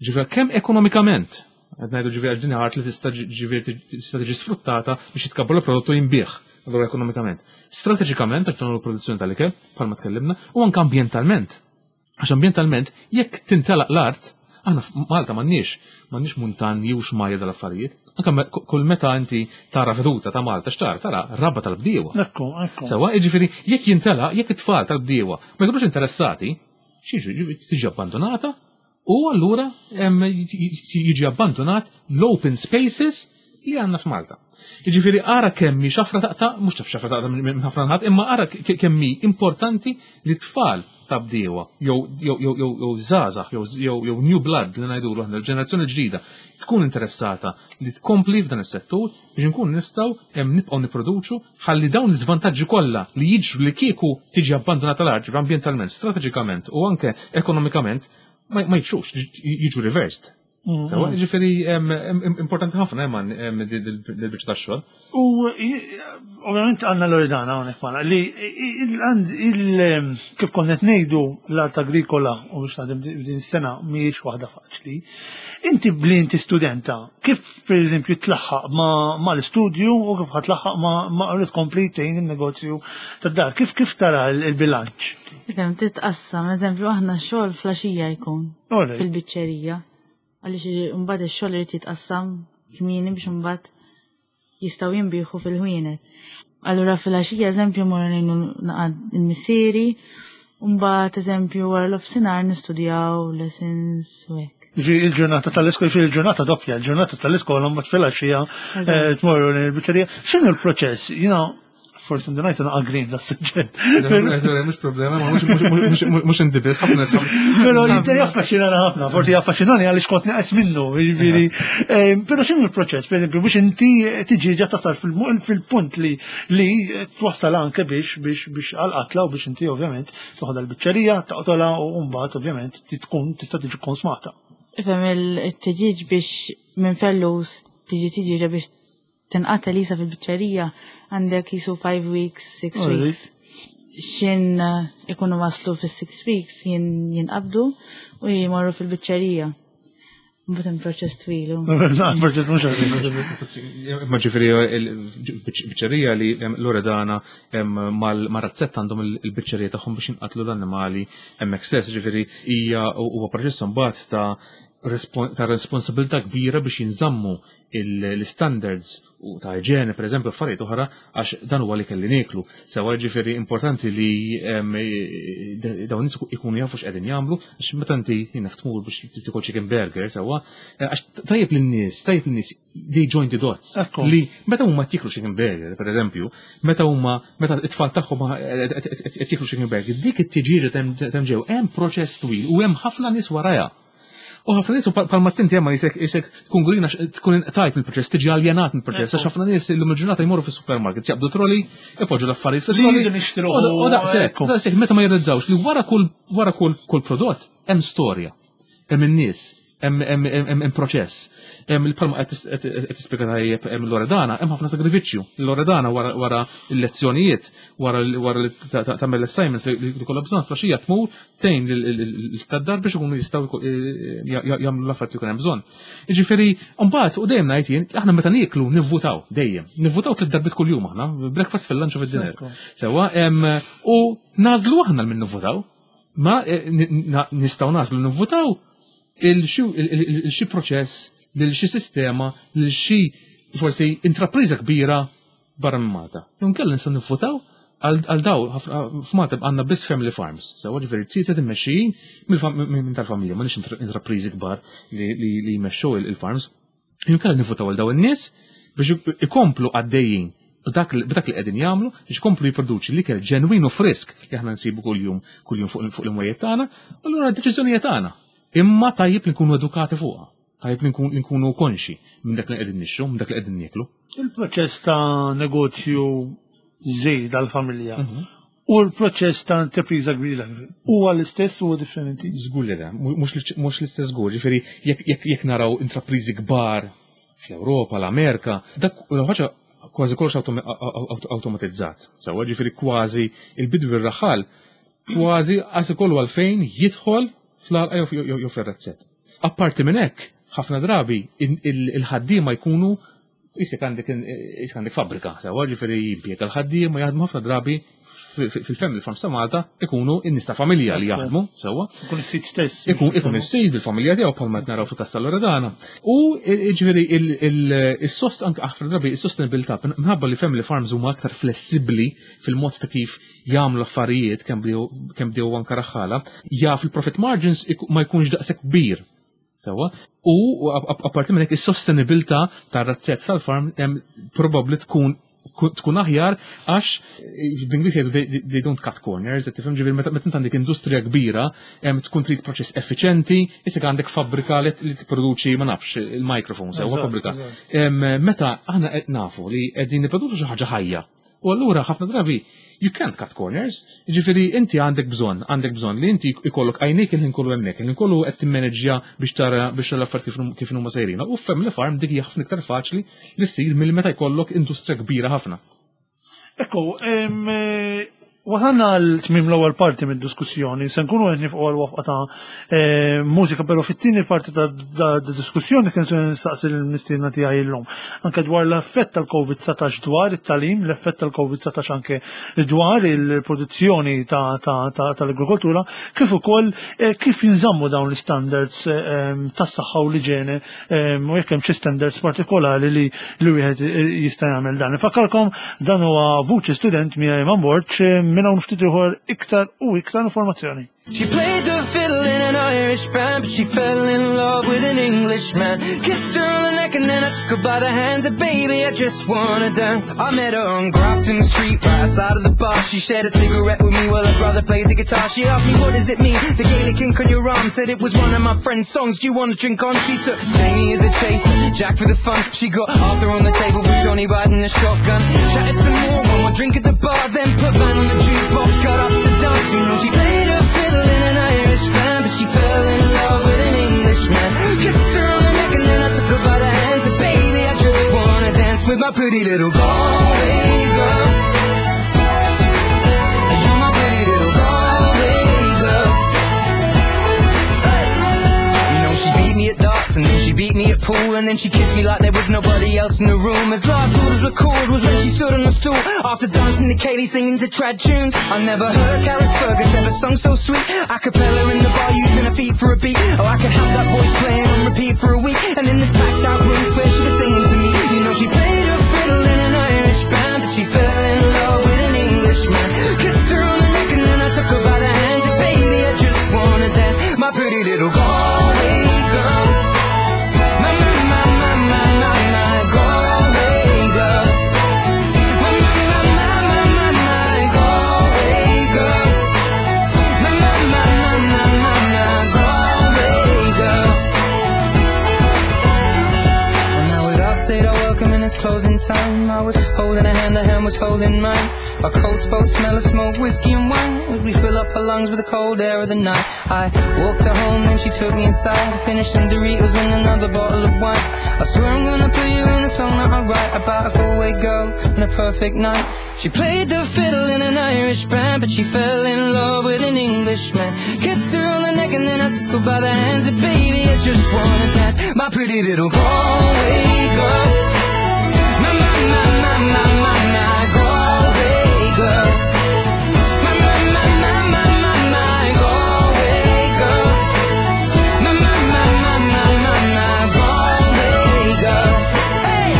Ġifieri kemm ekonomikament, qed ngħidu ġifieri din art li tista' ġifieri tista' tiġi sfruttata biex jitkabbar il-prodott u jinbih allura ekonomikament. Strateġikament għax tagħmlu produzzjoni tal-ikel, bħalma tkellimna, u anke ambjentalment. Għax ambjentalment, jekk tintelaq l-art, aħna f'Malta m'għandniex, m'għandniex muntanji u xmajjar dal-affarijiet. Anke kull meta inti tara veduta ta' Malta x'tara, tara raba tal-bdiewa. Ekku, ekku. Sewa, jiġifieri jekk jintelaq, jekk it-tfal tal-bdiewa ma jkunux interessati, x'jiġri, tiġi abbandonata u allura jiġi abbandonat l-open spaces li għandna f'Malta. Jiġifieri ara kemm hi xafra taqta', mhux taf xafra taqta' minn ħafna nħat, imma ara kemm hi importanti li tfal ta' bdiewa jew jew jew jew jew żgħażagħ jew jew jew new blood li ngħidulu aħna l-ġenerazzjoni ġdida tkun interessata li tkompli f'dan is-settur biex inkunu nistgħu nibqgħu nipproduċu ħalli dawn l-iżvantaġġi kollha li jiġru li kieku tiġi abbandonata l-art ambjentalment, strateġikament u anke ekonomikament ma jiġrux, jiġu reversed. Mm. Sewa, ġifieri importanti ħafna hemm dil-biċċa tax-xogħol. U ovvjament għandna Loredana hawnhekk magħna li kif konna qed ngħidu l-art agrikola u biex naħdem din is-sena mhijiex waħda faċli. Inti bli inti studenta, kif pereżempju tlaħħaq ma l-istudju u kif ħatlaħħaq ma li tkompli tgħin in-negozju tad-dar, kif kif tara l-bilanċ? Ifhem titqassam, eżempju aħna xogħol flaxija jkun fil-biċċerija. Għaliex imbagħad ix-xogħol irid jitqassam kmieni biex imbagħad jistgħu jinbieħu fil-ħwienet. Allura fil-għaxija eżempju morru ngħinu naqad il-missieri, u mbagħad eżempju wara l-ofsinhar nistudjaw lessons u hekk. Ġi il-ġurnata tal-iskola, ġi il-ġurnata doppja, il-ġurnata tal-iskola mbagħad fil-għaxija eh, tmorru l-biċċerija. X'inhu l-proċess? Jiena forsi ndunajt naqa' green da suġġett. Mhux problema, mhux inti biss ħafna nies. Però jidher jaffaxxinana ħafna, forsi jaffaxxinani għaliex kont neqes minnu, jiġifieri. Eh, però x'inhu l-proċess, pereżempju, biex inti tiġi ġa tasal fil-punt li li twassal anke biex biex biex għal-qatla u biex inti ovvjament toħodha l-biċċerija, taqtolha u mbagħad ovvjament tkun tista' tiġi konsmata. Ifhem il-tiġiġ biex minn fellus tiġi tiġiġa biex tinqatel isa fil-biċċerija għandek jisu 5 weeks, 6 weeks. Xin ikunu waslu fis-6 weeks jinqabdu u jmorru fil-biċċerija. Mbagħad hemm proċess twil. Proċess mhux ħażin. Ma ġifieri il-biċċerija li Loredana mal-razzetta għandhom il-biċċerija tagħhom biex jinqatlu l-annimali hemmhekk stess, ġifieri hija huwa proċess imbagħad ta' responsabilità kbira biex jinżammu l-standards u ta' iġene, per eżempju, affarijiet oħra, għax dan huwa li kelli nieklu. Sewa ġifieri importanti li dawn nies ikunu jafu x'qegħdin jagħmlu, għax meta inti jiena tmur biex tikol chicken burger, sewa, għax tajjeb lin-nies, tajjeb lin-nies they join the dots. Li meta huma jieklu chicken burger, per eżempju, meta huma meta it-tfal tagħhom qed jieklu chicken burger, dik it-tiġieġa hemm ġew hemm proċess twil u hemm ħafna nies warajha. U ħafna nies palma tinti hemm jisek tkun gurina tkun tajt mill-proċess, tiġi aljenat mill-proċess, għax ħafna nies illum il-ġurnata jmorru fis-supermarket, jaqbdu trolley, ipoġġu l-affarijiet fit-trolley. U daqshekk, daqshekk meta ma jirrezzawx li wara kull wara kull kull prodott hemm storja, hemm in-nies, hemm proċess. Hemm il-palma qed tispjega tajjeb hemm Loredana, hemm ħafna sagrifiċċju. Loredana wara l-lezzjonijiet, wara li tagħmel l-assignments li kollha bżonn flaxija tmur tgħin tad-dar biex ikunu jistgħu jagħmlu l-affarijiet li jkun hemm bżonn. Jiġifieri, mbagħad u dejjem ngħid jien, aħna meta nieklu nivvutaw dejjem. Nivvutaw tliet darbiet kuljum aħna, breakfast fil-lunch u fid-dinner. Sewwa, u nagħżlu aħna l min nivvutaw. Ma nistgħu nagħżlu nivvutaw il xi proċess, lil xi sistema, lil xi forsi intrapriża kbira barra minn Malta. Inkella nistgħu nivvutaw għal daw f'Malta għandna biss family farms, sewa ġifieri tsieset immexxijin minn tal-familja, m'għandniex intrapriżi kbar li jmexxu il-farms. Inkella nivvutaw għal daw in-nies biex ikomplu għaddejjin b'dak li qegħdin jagħmlu biex ikomplu jipproduċi l-ikel ġenwin u frisk li aħna nsibu kuljum kuljum fuq l-imwejjed tagħna, allura d-deċiżjonijiet tagħna. Imma tajjeb li nkunu edukati fuqha. Tajjeb li nkunu konxi minn dak li qegħdin nixtru, minn dak li qegħdin nieklu. Il-proċess ta' negozju żgħir dal-familja u l-proċess ta' intrapriża kbira huwa l-istess u differenti? Żgur li le, mhux l-istess żgur, ġifieri jekk naraw intrapriżi kbar fl-Ewropa, l-Amerika, dak ħaġa kważi kollox automatizzat. Sewa ġifieri kważi il-bidwi r-raħal kważi għas ikollu għalfejn jidħol fl-għalqa jew fl-razzett. Apparti minn hekk, ħafna drabi il-ħaddiema jkunu jisek għandek fabbrika, sewa ġifieri jimpjega l-ħaddiema jaħdmu ħafna drabi fil-family farms ta' Malta ikunu in-nies ta' familja li jaħdmu, sewa. Ikun is-sid stess. Ikun is-sid bil-familja tiegħu bħalma qed naraw fil-kas tal-Loredana. U ġifieri il-sost anke ħafna drabi is-sostenibilità minħabba li family farms huma aktar flessibbli fil-mod ta' kif jagħmlu affarijiet kemm bdew anke raħħala, jaf il-profit margins ma jkunx daqshekk kbir. Sewa. U apparti minn hekk is-sostenibilità tar-razzett tal-farm probabbli tkun aħjar għax b'Ingliż jgħidu they don't cut corners, qed tifhem ġifieri meta int għandek industrija kbira tkun trid proċess effiċenti, issa għandek fabbrika li tipproduċi ma nafx il-microphone sewa fabbrika. Meta aħna qed nafu li qegħdin nipproduċu xi ħaġa ħajja. U allura ħafna drabi you can't cut corners. Ġifieri inti għandek bżonn li inti ikollok għajnejk il-ħin kollu hemmhekk, il-ħin kollu qed timmaneġġja biex tara biex l-affarijiet kif huma sejrin. U family farm dik hija ħafna iktar faċli li ssir mill meta jkollok industrija kbira ħafna. Ekku, wasalna għal tmim l-ewwel parti mid-diskussjoni, se nkunu qed nifqu għal waqfa ta' mużika, però fit-tieni parti ta' diskussjoni kien se nistaqsi l-mistiedna tiegħi llum. Anke dwar l-effett tal-COVID-19 dwar it-tagħlim, l-effett tal-COVID-19 anke dwar il-produzzjoni tal-agrikoltura, kif ukoll kif jinżammu dawn l-standards tas-saħħa u l-iġene u jekk hemm xi standards partikolari li wieħed jista' jagħmel dan. Nfakkarkom dan huwa Vuċi Student miegħi Iman Borg minn hawn ftit ieħor iktar u iktar informazzjoni. She played the fiddle in an Irish band, but she fell in love with an Englishman. Kissed her on the neck and then I took her by the hands. And baby, I just wanna dance. I met her on Grafton Street, right outside of the bar. She shared a cigarette with me while her brother played the guitar. She asked me, what does it mean? The Gaelic ink on your arm said it was one of my friend's songs. Do you wanna drink on? She took Jamie as a chaser, Jack for the fun. She got Arthur on the table with Johnny riding a shotgun. Chatted some more, one more drink at the bar, then put Van on the jukebox, got up to dance. You know she played a fiddle in an Irish band, but she fell in love with an Englishman. Kissed her on the neck and then I took her by the hands. And baby, I just wanna dance with my pretty little Galway girl. You're my And then she kissed me like there was nobody else in the room. As last orders were called was when she stood on the stool. After dancing to Kaylee singing to trad tunes. I never heard Carrick Fergus ever sung so sweet. A cappella in the bar using her feet for a beat. Oh, I could have that voice playing on repeat for a week. And in this packed out room, swear she was singing to me. You know she played a fiddle in an Irish band, but she fell in love with an Englishman. Kissed her on the neck and then I took her by the hands. And baby, I just wanna dance, my pretty little Galway girl. My, my, my, my, my, my, my Galway girl. My, my, my, my, my, my, my Galway girl. My, my, my, my, my, my, my Galway girl. Well, now we'd all said our welcome and it's closing time. I was holding her hand, her hand was holding mine. Our coats both smell of smoke, whiskey and wine. As we fill up our lungs with the cold air of the night. I walked her home, then she took me inside. Finished some Doritos and another bottle of wine. I swear I'm gonna put you in a song that I write about a Galway girl and a perfect night. She played the fiddle in an Irish band, but she fell in love with an Englishman. Kissed her on the neck and then I took her by the hands. And baby, I just wanna dance, my pretty little Galway girl. My, my, my, my, my, my, my Galway girl. My, my, my, my, my, my, my Galway girl. My, my, my, my, my, my, my Galway girl. Hey!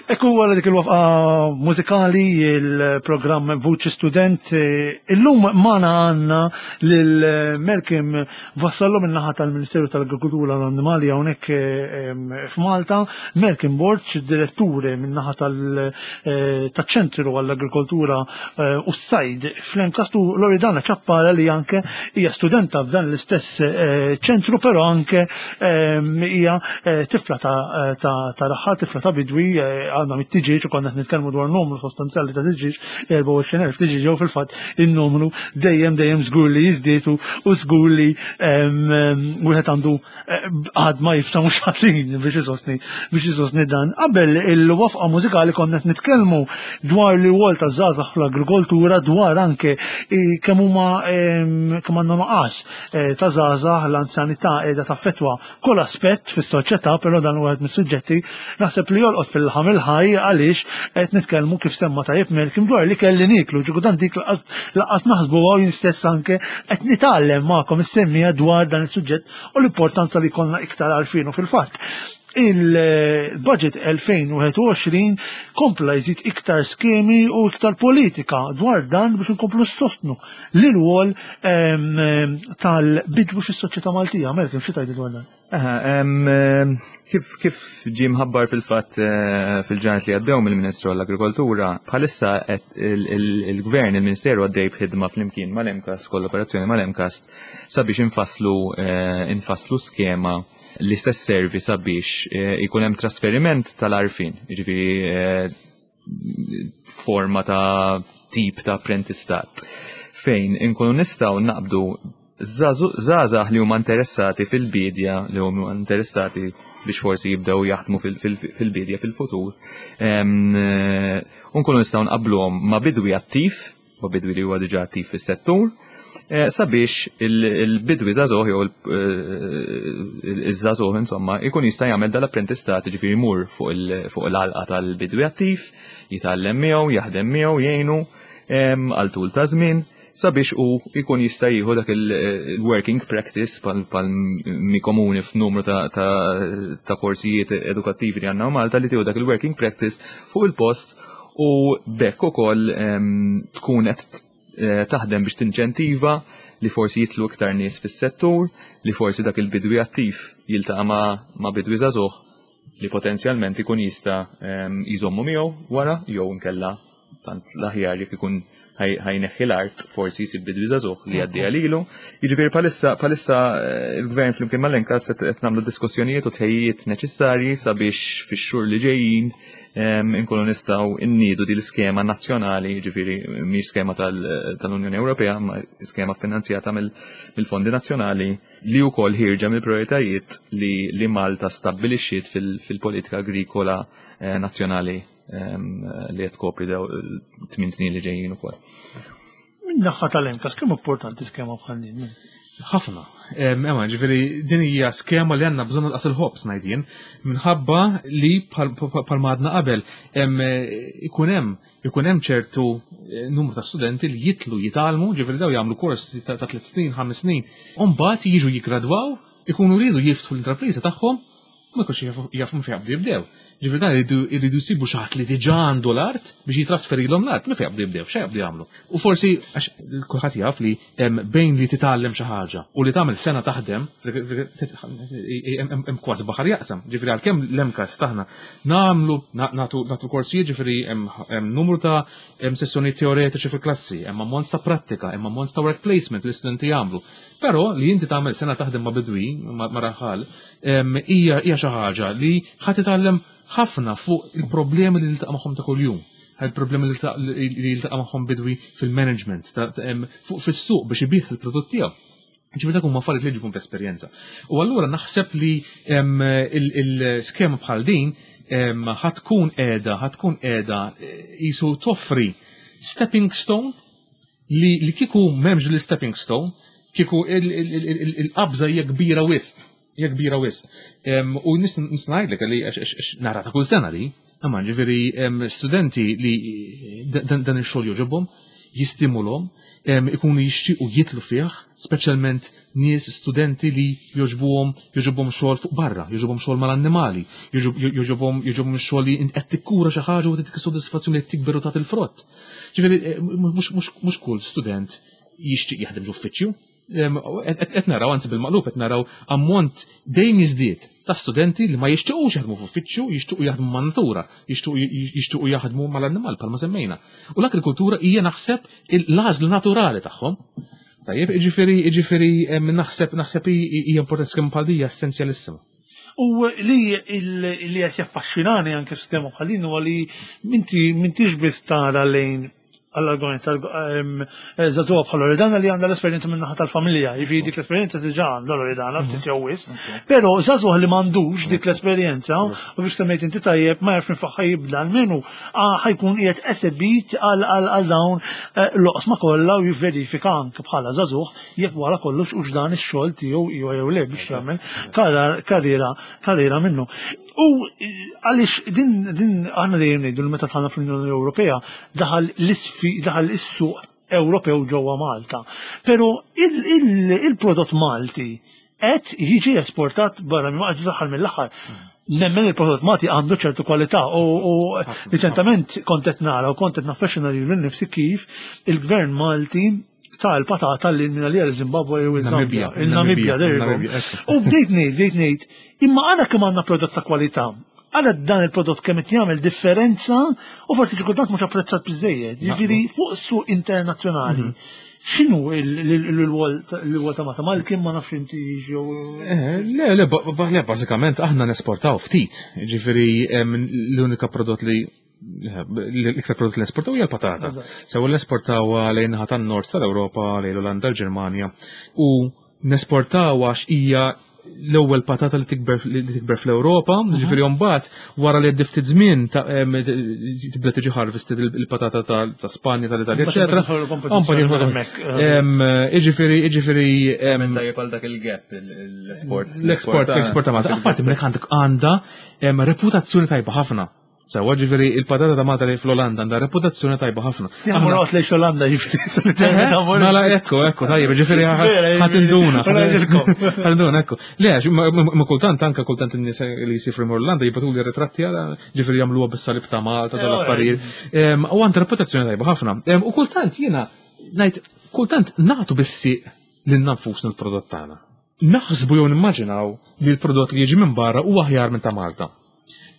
Ekku għala dik il-wafqa mużikali il-programm Vuċi Student. Illum magħna għandna lil Malcolm Vassallo min-naħa tal-Ministeru tal-Agrikoltura u l-Annimali hawnhekk f'Malta, Malcolm Borg, direttur min-naħa tal-Ċentru għall-Agrikoltura u s-Sajd fl-MCAST, u Loredana Ciappara li anke hija studenta f'dan l-istess ċentru, però anke hija tifla ta' raħħal, tifla ta' bidwi, għandna mit-tiġieġ u konna qed nitkellmu dwar numru sostanzjali ta' tiġieġ, 24,000 tiġieġ, jew fil-fatt in-numru dejjem dejjem żgur li jiżdied u żgur li wieħed għandu għad ma jifsa mhux ħażin biex isostni dan. Qabel il-wafqa mużikali konna qed nitkellmu dwar li wol ta' żgħażagħ fl-agrikoltura, dwar anke kemm huma kemm għandna nuqqas ta' żgħażagħ, l-anzjanità qiegħda taffettwa kull aspett fis-soċjetà, però dan huwa wieħed mis-suġġetti naħseb li jolqot fil-ħam il-ħaj għaliex qed nitkellmu kif semma tajjeb Malcolm dwar li kelli niklu, ġiku dan dik laqas naħsbu għaw jien stess anke qed nitgħallem magħkom is-semmija dwar dan is-suġġett u l-importanza li jkollna iktar għarfien. U fil-fatt il-budget 2021 kompla jżid iktar skemi u iktar politika dwar dan biex nkomplu sostnu l-rwol tal-bidwi fis-soċjetà Maltija. Malcolm, xi tgħid dwar dan? Kif ġie mħabbar fil-fatt fil-ġranet li għaddew mill-Ministru għall-Agrikoltura, bħalissa il-Gvern, il-Ministeru għaddej b'ħidma flimkien mal-MCAST, kollaborazzjoni mal-MCAST, sabiex infasslu skema li se sservi sabiex ikun hemm trasferiment tal-għarfien, jiġifieri forma ta' tip ta' apprentistat, fejn inkunu nistgħu naqbdu żgħażagħ li huma interessati fil-bidja, li huma interessati biex forsi jibdew jaħdmu fil-bidja fil-futur, u nkunu nistgħu nqabbluhom ma' bidwi attiv, ma' bidwi li huwa diġà attiv fis-settur, sabiex il-bidwi żagħżugħ jew iż-żagħżugħ insomma ikun jista' jagħmel dal-apprentistat, jiġifieri jmur fuq l-għalqa tal-bidwi attiv, jitgħallem miegħu, jaħdem miegħu, jgħinu għal tul ta' żmien, sabiex u jkun jista' jieħu dak il-working practice pal mi komuni f'numru ta' korsijiet edukattivi li għandna Malta, li tieħu dak il-working practice fuq il-post, u bekk ukoll tkun qed taħdem biex tinċentiva li forsi jitlu iktar nies fis-settur, li forsi dak il-bidwi attiv jiltaqa' ma' bidwi żagħżugħ li potenzjalment ikun jista' jżommu miegħu wara, jew inkella tant l-aħjar jekk ikun ħajneħħi l-art forsi jsib bidwi żagħżugħ li jgħaddiha lilu. Jiġifieri bħalissa bħalissa eh, il-gvern flimkien mal-Enkas qed nagħmlu diskussjonijiet u tħejjijiet neċessarji sabiex fix-xhur li ġejjin inkunu nistgħu nniedu din l-iskema nazzjonali, jiġifieri mhix skema tal-Unjoni Ewropea, ma skema finanzjata mill-fondi nazzjonali li wkoll ħierġa mill-prioritajiet li Malta stabbilixxiet fil-politika agrikola eh, nazzjonali li qed tkopri daw tmien snin li ġejjin ukoll. Min-naħa tal-Enkas kemm importanti skema bħal din? Ħafna. Ema, ġifieri din hija skema li għandna bżonn nqas il-ħobż ngħid jien, minħabba li bħal għadna qabel ikun hemm ikun hemm ċertu eh, numru ta' studenti li jitlu jitgħallmu, ġifieri daw jagħmlu kors ta' tliet snin, ħames snin, u mbagħad jiġu jiggradwaw, ikunu rridu jiftħu l-intrapriża tagħhom ma jkunx jafu minn fejn jaqbdu jibdew. Ġifieri dan iridu jsibu xi ħadd li diġà għandu l-art biex jitrasferilhom l-art, minn fejn jaqbdu jibdew, x'għa jaqbdu jagħmlu. U forsi għax kulħadd jaf li bejn li titgħallem xi ħaġa u li tagħmel sena taħdem hemm kważi baħar jaqsam. Ġifieri għalkemm l-MCAST aħna nagħmlu nagħtu korsijiet ġifieri hemm numru ta' sessjonijiet teoretiċi fil-klassi, hemm ammont ta' prattika, hemm ammont ta' work placement li l-istudenti jagħmlu. Però li inti tagħmel sena taħdem ma' bidwi, ma' raħal, hija xi ħaġa li ħa titgħallem ħafna fuq il-problemi li tiltaqa' magħhom ta' kuljum. Il-problemi li jiltaqa' magħhom bidwi fil-management, fuq fis-suq biex ibih il-prodott tiegħu. Ġifieri dak huma affarijiet li ġibhom b'esperjenza. U allura naħseb li il-skema bħal din ħa tkun qiegħda, ħa tkun qiegħda qisu toffri stepping stone li li kieku m'hemmx l-stepping stone, kieku il-qabża hija kbira wisq, hija kbira wisq. U nista' ngħidlek li nara ta' kull sena li, imma ġifieri studenti li dan ix-xogħol jogħġobhom, jistimulhom, ikunu jixtiequ jitlu fih, speċjalment nies studenti li jogħġbuhom jogħġobhom xogħol fuq barra, jogħġobhom xogħol mal-annimali, jogħġobhom jogħġobhom xogħol li qed tikkura xi ħaġa u ttik sodisfazzjoni li qed tikber u tagħti l-frott. Ġifieri eh, mhux kull student jixtieq jaħdem ġuffiċċju. Qed naraw anzi bil-maqlub qed naraw ammont dejjem jiżdied ta' studenti li ma jixtiequx jaħdmu f'uffiċċju, jixtiequ jaħdmu man-natura, jixtiequ jaħdmu mal-annimal bħalma semmejna. U l-agrikultura hija naħseb l-għażla naturali tagħhom. Tajjeb, jiġifieri jiġifieri naħseb naħseb hija importanti skema bħal hija essenzjalissima. U li li qed jaffaxxinani anke skema bħal din huwa li inti m'intix biss tara lejn għall-argument tal-żagħżugħa bħal Loredana li għandha l-esperjenza minn naħa tal-familja, jiġifieri dik l-esperjenza diġà għandha Loredana ftit jew wisq. Però żagħżugħ li m'għandux dik l-esperjenza u biex semmejt inti tajjeb ma jafx minn fejn jibda almenu ħajkun qiegħed esebit għal dawn eh, l-oqsma kollha u jivverifika anke bħala żagħżugħ jekk wara kollox hux dan ix-xogħol tiegħu jew jew le biex jagħmel karriera karriera minnu. U eh, għaliex din din aħna dejjem ngħidu li meta dħalna fl-Unjoni Ewropea daħal l-isfi daħal is-suq Ewropew ġewwa Malta. Però il-prodott Malti qed jiġi esportat barra minn Malta fl-aħħar mill-aħħar. Nemmen il-prodott Malti għandu ċertu kwalità u riċentament kont qed nara u kont qed naffaxxina lili nnifsi kif il-gvern Malti ta' l-patata li minna li Zimbabwe jew il-Zambia. Il-Namibja, U bdejt ngħid, bdejt ngħid, imma għana kemm għandna prodott ta' kwalità, għala dan il-prodott kemm qed jagħmel differenza u forsi xi kultant mhux apprezzat biżejjed. Jiġifieri fuq suq internazzjonali. Mhm. X'inhu l-wol ta' Malta? Malkim ma nafx inti jew. Eh, le, le, le, bażikament aħna nesportaw ftit. Ġifieri l-unika prodott li l-iktar prodott li nesportaw hija l-patata. Sew l-esportaw lejn naħa tan-nord tal-Ewropa, lejn l-Olanda, l-Ġermanja. U Nesportaw għax hija l-ewwel patata li tikber li tikber fl-Ewropa, mhm. ġifieri mbagħad wara li għaddi ftit żmien tibda tiġi harvested il-patata ta' Spanja, tal-Italja, eċetera. Jiġifieri, jiġifieri. Tajjeb għal dak il-gap l-esport. L-export, l-export ta' Malta. Apparti minn għandek għandha reputazzjoni tajba ħafna. Sewa ġifieri il-patata ta' Malta li fl-Olanda għandha reputazzjoni tajba ħafna. Aħna noqgħod lejn Olanda ġifieri. Mela ekku, ekku, tajjeb, ġifieri ħadd induna. Ħadd induna, ekku. Le, ma kultant anke kultant in-nies li jsifru mor Olanda jibgħatu li ritratti għala ġifieri jagħmluha bis-salib ta' Malta tal-affarijiet. U għandha reputazzjoni tajba ħafna. U kultant jiena ngħid kultant nagħtu bis-sieq lil nfusna l-prodott tagħna. Naħsbu jew nimmaġinaw li l-prodott li jiġi minn barra huwa aħjar minn ta' Malta.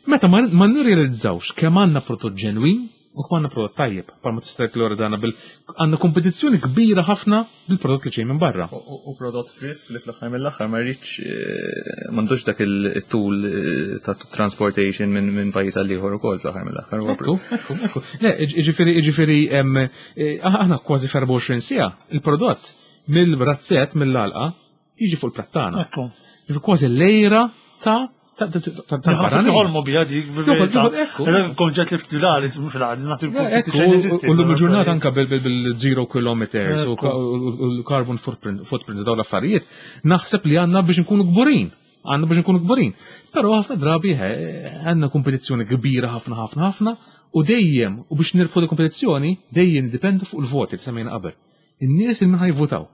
Meta ma nirrealizzawx kemm għandna prodott ġenwin U għandna prodott tajjeb, palma tista' Loredana bil għandna kompetizzjoni kbira ħafna bil-prodott li ġej minn barra. U prodott frisk li fl-aħħar mill-aħħar ma rridx eh, m'għandux dak il-tul eh, ta' transportation minn pajjiż għal ieħor ukoll fl-aħħar mill-aħħar. Ekku, ekku, ekku. Le, ġifieri ġifieri eh, aħna kważi f'24 siegħa il-prodott mill-razzett mill-għalqa jiġi fuq il-platt tagħna. Ekku. Jiġifieri kważi lejra ta' tal-barrani. Ħolmu bija dik, konġet li ftilali, mux l-għad, U l-lum il-ġurnata anka bil-zero kilometers u l-carbon footprint daw l-affarijiet, naħseb li għanna biex nkunu kburin. Għanna biex nkunu kburin. Pero ħafna drabi għanna kompetizzjoni kbira ħafna ħafna ħafna u dejjem, u biex nirbħu l-kompetizzjoni, dejjem dipendu fuq il-voti li semmejna qabel. In-nies il minħaj votaw.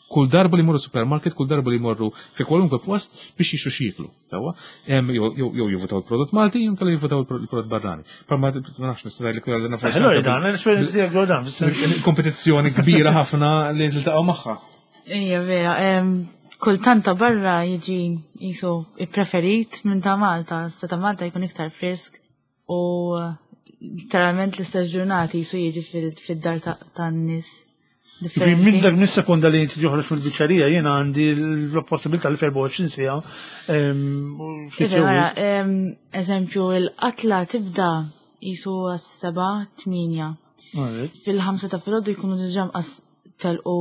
Kull darba li jmorru supermarket, kull darba li jmorru fi kwalunkwe post biex jixtru x'jieklu. Sewwa? Jew jivvutaw il-prodott Malti, jew inkella jivvutaw il-prodott barrani. Però ma nafx nista' ngħidlek li għandna forsi. Allura dan, l-esperjenza tiegħek dwar dan, fis-sens. Kompetizzjoni kbira ħafna li tiltaqgħu magħha. Ija vera, kultant ta' barra jiġi jisu ippreferit minn ta' Malta, sa ta' Malta jkun iktar frisk u literalment l-istess ġurnati jisu jiġi fid-dar tan-nies. Ġifieri minn dak mis-sekonda li inti joħroġ mill-biċċerija jiena għandi l-possibilità li f'24 siegħa. Iva, eżempju, il-qatla tibda jisu għas-seba' tmienja. Fil-ħamsa ta' filgħodu jkunu diġà mqas telqu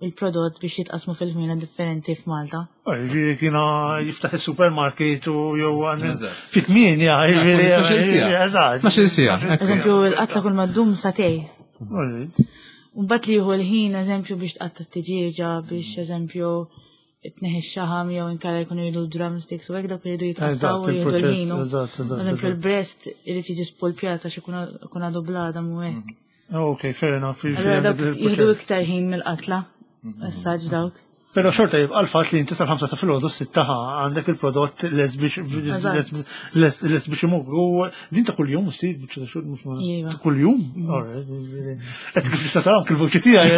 il-prodott biex jitqasmu fil-ħmiena differenti f'Malta. Ġifieri kiena jiftaħ is-supermarket u jew fit-tmienja, ġifieri. Eżatt. 12 siegħa. Eżempju, il-qatla kull ma ddum sagħtejn. Mbagħad li jieħu l-ħin eżempju biex tqatta' t-tiġieġa biex eżempju tneħħi x-xaħam jew inkella jkunu jridu drumsticks u hekk dawk iridu jitqattgħu u jieħdu l-ħin. Eżempju l-breast irid jiġi spolpjat għax ikun għadu bl-għadam u hekk. Ok, fair enough. Allura dawk jieħdu iktar ħin mill-qatla, assaġġ dawk. Però xorta jibqa' l-fatt li inti sal-ħamsa ta' filgħodu s-sitta għandek il-prodott lest biex lest biex imur. U din ta' kuljum ssir biċċa ta' xogħol mhux Iva. ta' kuljum. Qed kif tista' tara anke l-vuċi tiegħi.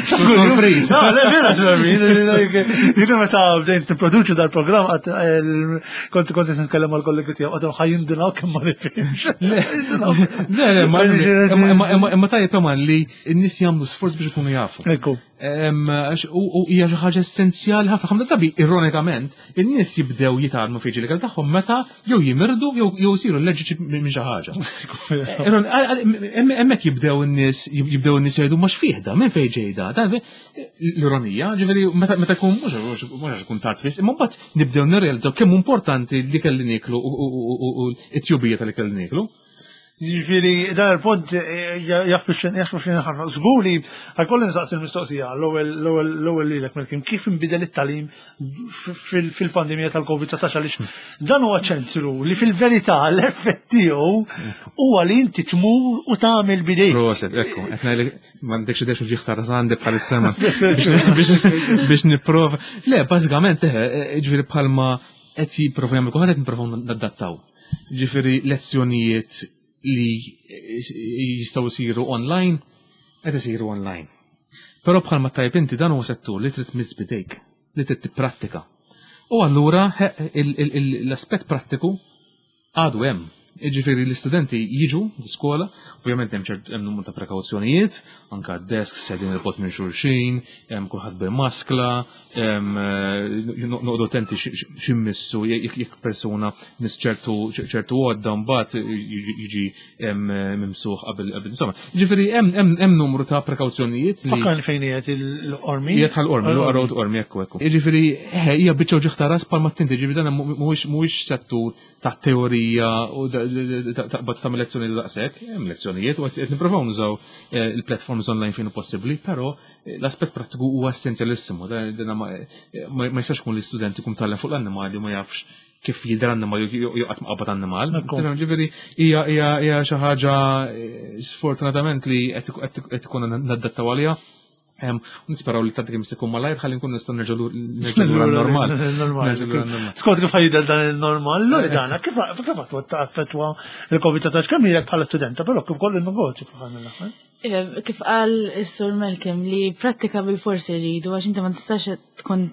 Ta' kuljum. Sorpriż. Ah, le, vera sorpriż. Jiena meta bdejt nipproduċu dal-programm qatt kont kont qed nitkellem mal-kollegi tiegħu qatt ħa jindunaw kemm ma nifhimx. Le, le, ma imma tajjeb imma li n-nies jagħmlu sforz biex ikunu jafu. Ekku. U hija xi ħaġa essenzjali ħafna ħafna drabi ironikament in-nies jibdew jitgħallmu fiġi l-ikel tagħhom meta jew jimirdu jew isiru allerġiċi minn xi ħaġa. Hemmhekk jibdew in-nies jibdew in-nies jgħidu ma x'fih da, minn fejn ġej da. L-ironija, ġifieri meta jkun mhux għax ikun tard biss, imma mbagħad nibdew nirrealizzaw kemm importanti l-ikel li nieklu u t-tjubija tal-ikel li nieklu. Jiġifieri dan il-punt eh, jaffixxin ħafna. Żgur li ħajkolli nsaqsi l-mistoqsija l-ewwel lilek Melkim kif inbidel it-tagħlim fil-pandemija tal-Covid-19 għaliex dan huwa ċentru li fil-verità l-effett tiegħu huwa li inti tmur u tagħmel bidejk. Proset, ekku, qed ngħidlek m'għandekx idea xi ħtar għandi bħalissa biex nipprova. Le, bażikament eħe, eh, ġifieri bħalma qed jipprova jagħmel kulħadd qed nipprovaw nadattaw. Ġifieri lezzjonijiet li jistgħu jsiru online qed isiru online. Però bħalma tajb inti dan huwa settur li trid tmiss bidejk, li trid tipprattika. U allura l-aspett prattiku għadu hemm. Jiġifieri l-istudenti jiġu l-iskola, ovvjament hemm ċert hemm numru ta' prekawzjonijiet, anka d-desks qegħdin il-bogħod minn xulxin, hemm kulħadd bil-maskla, eh, noqogħdu attenti x'immissu jekk persuna miss ċertu ċertu għodda mbagħad jiġi mimsuħ qabel qabel insomma. Jiġifieri hemm numru ta' prekawzjonijiet. Fakkarni fejn qiegħed il-qormi. Qiegħed ħal-qormi, l-road qormi ekku ekku. Jiġifieri hija biċċa uġigħ ta' ras bħalma tinti, jiġifieri dan mhuwiex settur ta' teorija u taqbad tagħmel lezzjoni daqshekk, hemm lezzjonijiet u qed nippruvaw nużaw eh, il-platforms online fejn hu possibbli, però eh, l-aspett prattiku huwa essenzjalissimu. Eh, ma jistax kun l-istudent ikun tgħallem fuq l-annimali u ma jafx kif jidher annimal jew qatt ma qabad annimal. Ġifieri hija xi ħaġa sfortunatament li qed ikun nadattaw għaliha. Nisperaw li tgħaddi kemm se malajr ħalli nkun nistgħu nerġgħu lura normal. Skont kif ħajidher dan il-normal, Loredana, kif kif affettwa il-Covid-19 kemm ilek bħala studenta, però kif kollu n-negozju fl-aħħar mill-aħħar. Iva, kif qal is-Sur Malcolm li prattika bil-forsi rridu għax inti ma tistax tkun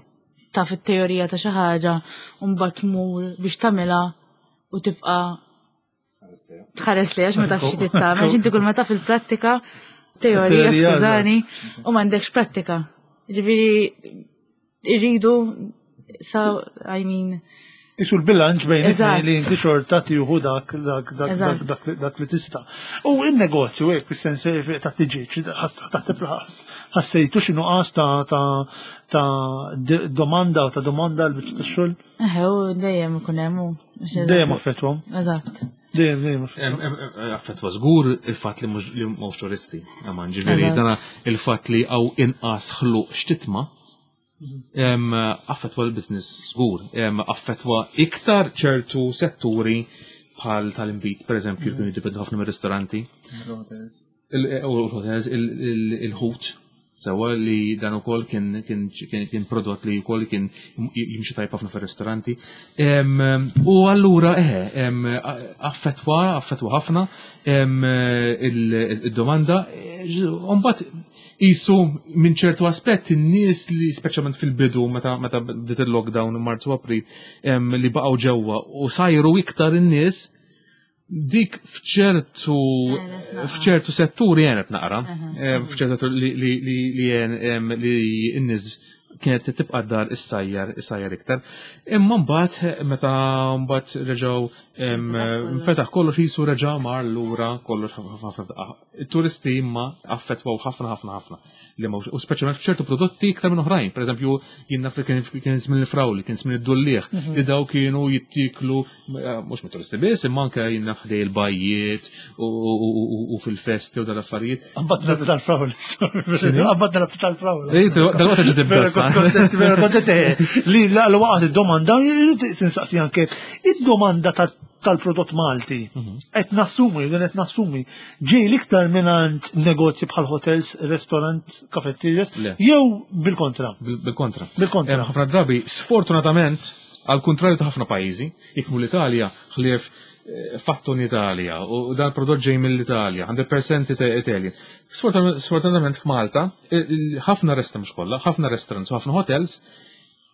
taf it-teorija ta' xi ħaġa u mbagħad tmur biex tagħmilha u tibqa' Tħares li għax ma tafx xi tagħmel, għax inti kull ma taf il-prattika, teorija, skużani, u m'għandekx prattika. Ġifieri irridu sa I mean Isu l-bilanċ bejn it-tnejn li inti xorta tieħu dak dak dak dak dak li tista'. U n-negozju hekk fis-sens ta' tiġiġ, taħseb ħassejtu xi nuqqas ta' ta' ta' domanda u ta' domanda l biċċa tax-xogħol? Eħe, u dejjem ikun hemm u. Dejjem affettwhom. Eżatt. Dejjem dejjem affettwa. Affettwa żgur il-fatt li mhux li mhux turisti. Aman, ġifieri dana il-fatt li hawn inqas ħluq x'titma' Affettwa l-business żgur, affettwa iktar ċertu setturi bħal tal-inbid, per eżempju, kienu jiddependu ħafna mir-ristoranti. Il-hotels, il-ħut, sewa li dan ukoll kien kien prodott li wkoll kien jimxi tajb ħafna fir-ristoranti. U allura eħe, affettwa, affettwa ħafna il-domanda. Mbagħad Qisu minn ċertu aspett in-nies li speċjalment fil-bidu meta meta bdiet il-lockdown Marzu April li baqgħu ġewwa u sajru iktar in-nies dik f'ċertu f'ċertu setturi għenet naqra, f'ċertu li li li li n-nies kienet tibqa' dar issajjar issajjar iktar. Imma mbagħad meta mbagħad reġgħu fetaħ kollox jisu reġa' mar lura kollox ħafna daqqa. It-turisti imma affettwaw ħafna ħafna ħafna li mhux u speċjalment f'ċertu prodotti iktar minn oħrajn. Pereżempju, jien naf li kien żmien il-frawli, kien żmien id-dullieħ, mhm. li daw kienu jittiklu eh, mhux mit-turisti biss, imma anke jien naf ħdej il-bajjiet u fil-festi u dal-affarijiet. Għambatna tal-frawli. Għambatna tal-frawli. Eh, dal-waqt ġi tibda. Vera kontent eh, li l-waqt id-domanda, tinsaqsi anke id-domanda tal-prodott Malti. Mhm. Qed nassumi, qed nassumi Ġej l-iktar mingħand negozji bħal hotels, restaurant, kafetterias, jew bil-kontra? Bil-kontra. Bil-kontra. Ħafna drabi, sfortunatament, għal kontrarju ta' ħafna pajjiżi, jikmu l-Italja, ħlief eh, fatto in Italia, u dan prodott ġej mill-Italja, 100% Italjan. Sfortunatament f'Malta, ħafna restaurants mhux kollha, ħafna restaurants u ħafna hotels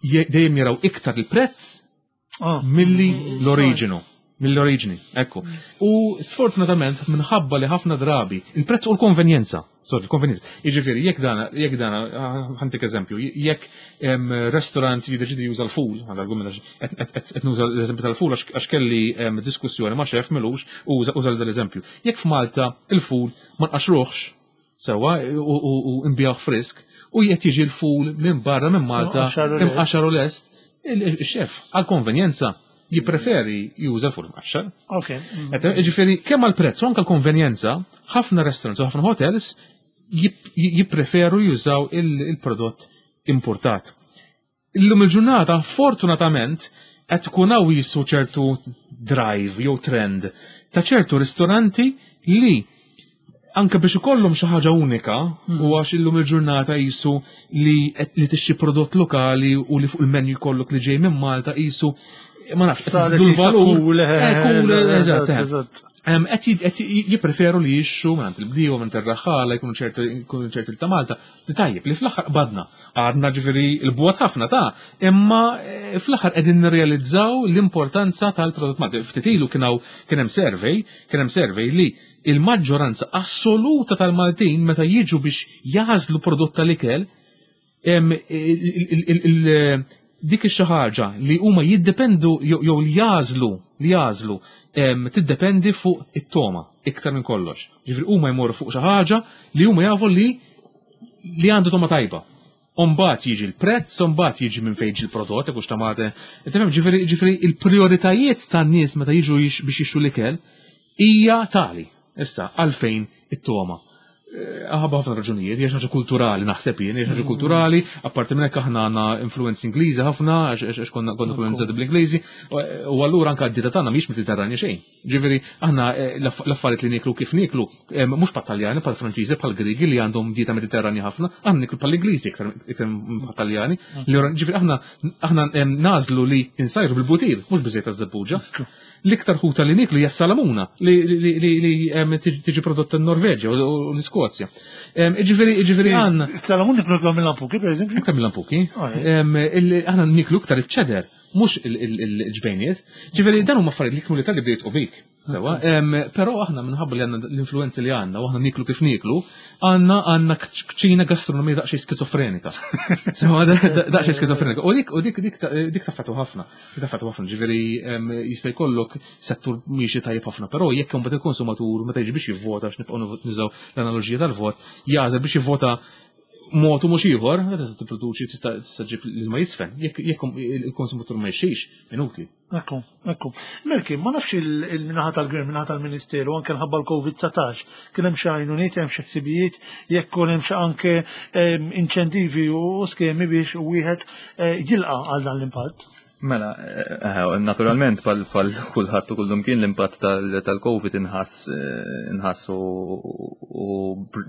dejjem jaraw iktar il-prezz ah. milli l-oriġinu. Mill-oriġini, ekku. U sfortunatament minħabba li ħafna drabi il-prezz u l-konvenjenza. Sorry, l-konvenjenza. Jiġifieri, jekk dana, jekk dana, ħantik eżempju, jekk restaurant jiddeċidi juża l-ful, għal argument qed nuża l-eżempju tal-ful għax kelli diskussjoni ma' xef milux u uża l-eżempju. Jekk f'Malta il-ful ma nqaxruħx, Sewa, u imbjaħ frisk, u jett jiġi l-ful minn barra minn Malta, imqaxar u lest, il-xef, għal-konvenjenza, jippreferi juża l-ful imqaxxar. Ok. Ġifieri, kemm għall-prezz u anke l-konvenjenza, ħafna restaurants u ħafna hotels jippreferu jużaw il-prodott importat. Illum il-ġurnata, fortunatament, qed ikun hawn jisu ċertu drive jew trend ta' ċertu ristoranti li anke biex ikollhom xi ħaġa unika hmm. u għax illum il-ġurnata jisu li li tixxi prodott lokali u li fuq il-menu jkollok li ġej minn Malta jisu ma nafx qed l-valur. Eh, eh, eżatt. Qed jippreferu li jixxu minn il-bdiewa minn ir-raħħala jkunu ċerti ta' Malta Li tajjeb li fl-aħħar qbadna. Għadna ġifieri l-bwot ħafna ta' imma eh, fl-aħħar qegħdin nirrealizzaw l-importanza tal-prodott Malti. Ftit ilu kien kien hemm survey, kien hemm survey li il-maġġoranza assoluta tal-Maltin meta jiġu biex jażlu prodott tal-ikel dik ix ħaġa li huma jiddependu jew li jażlu li jażlu tiddependi fuq it-toma iktar minn kollox. Ġifieri huma jmorru fuq xi ħaġa li huma jafu li li għandu toma tajba. Umbat jiġi l-prezz, umbat jiġi minn fejn il-prodott, jekk ta' mate. Tifhem ġifieri ġifieri il-prioritajiet tan-nies meta jiġu biex jixtru l-ikel hija tali. Issa għalfejn it-toma. Ħabba ħafna raġunijiet, hija ħaġa kulturali naħseb jien, hija ħaġa kulturali, apparti minn hekk aħna għandna influenzi Ingliżi ħafna, għax konna kolonizzati bl-Ingliżi, u allura anke d-dieta tagħna mhix Mediterranja xejn. Ġifieri aħna eh, l-affarijiet li nieklu kif nieklu, eh, mhux bħat-Taljani, bħal Franċiżi, bħal Griegi li għandhom dieta Mediterranja ħafna, aħna nieklu bħal Ingliżi iktar bħat-Taljani. Ġifieri aħna aħna nażlu li insajru bil-butir, mhux biżejt taż-żebbuġa. L-iktar ħuta li niklu hija salamuna li tiġi prodotta n-Norveġja u l-Iskozja. Ġifieri ġifieri għandna. Salamuna niklu mill-lampuki, pereżempju? Iktar mill-lampuki. Ah, aħna niklu iktar iċ-ċeder, mhux il-ġbejniet. Ġifieri dan huma affarijiet li kienu li tal-li bdejt u bik. Sewa, però aħna minħabba li għandna l-influenzi li għandna u aħna niklu kif niklu, għandna għandna kċina gastronomija daqsxejn skizofrenika. Sewa, daqsxejn skizofrenika. U dik u dik dik dik taffatu ħafna. Dik taffatu ħafna, ġifieri jista' jkollok settur miexi tajjeb ħafna, però jekk imbagħad il-konsumatur meta jiġi biex jivvota għax nibqgħu nużaw l-analoġija tal-vot, jagħżel biex jivvota mod u mhux ieħor, tista' tipproduċi tista' ġib l-ilma jisfen. Jekk il-konsumatur ma jixtrix, inutli. Ekku, ekku. Melki, ma nafx il-minaħa tal-gvern, minaħa tal-ministeru, anke nħabba l-Covid-19, kien hemm xi għajnuniet, hemm xi ħsibijiet, jekk kun hemm xi anke inċentivi u skemi biex wieħed eh, jilqa' għal dan l-impatt. Mela, eh, eh, naturalment pal kulħadd u kullum kien l-impatt tal-Covid inħass inħass u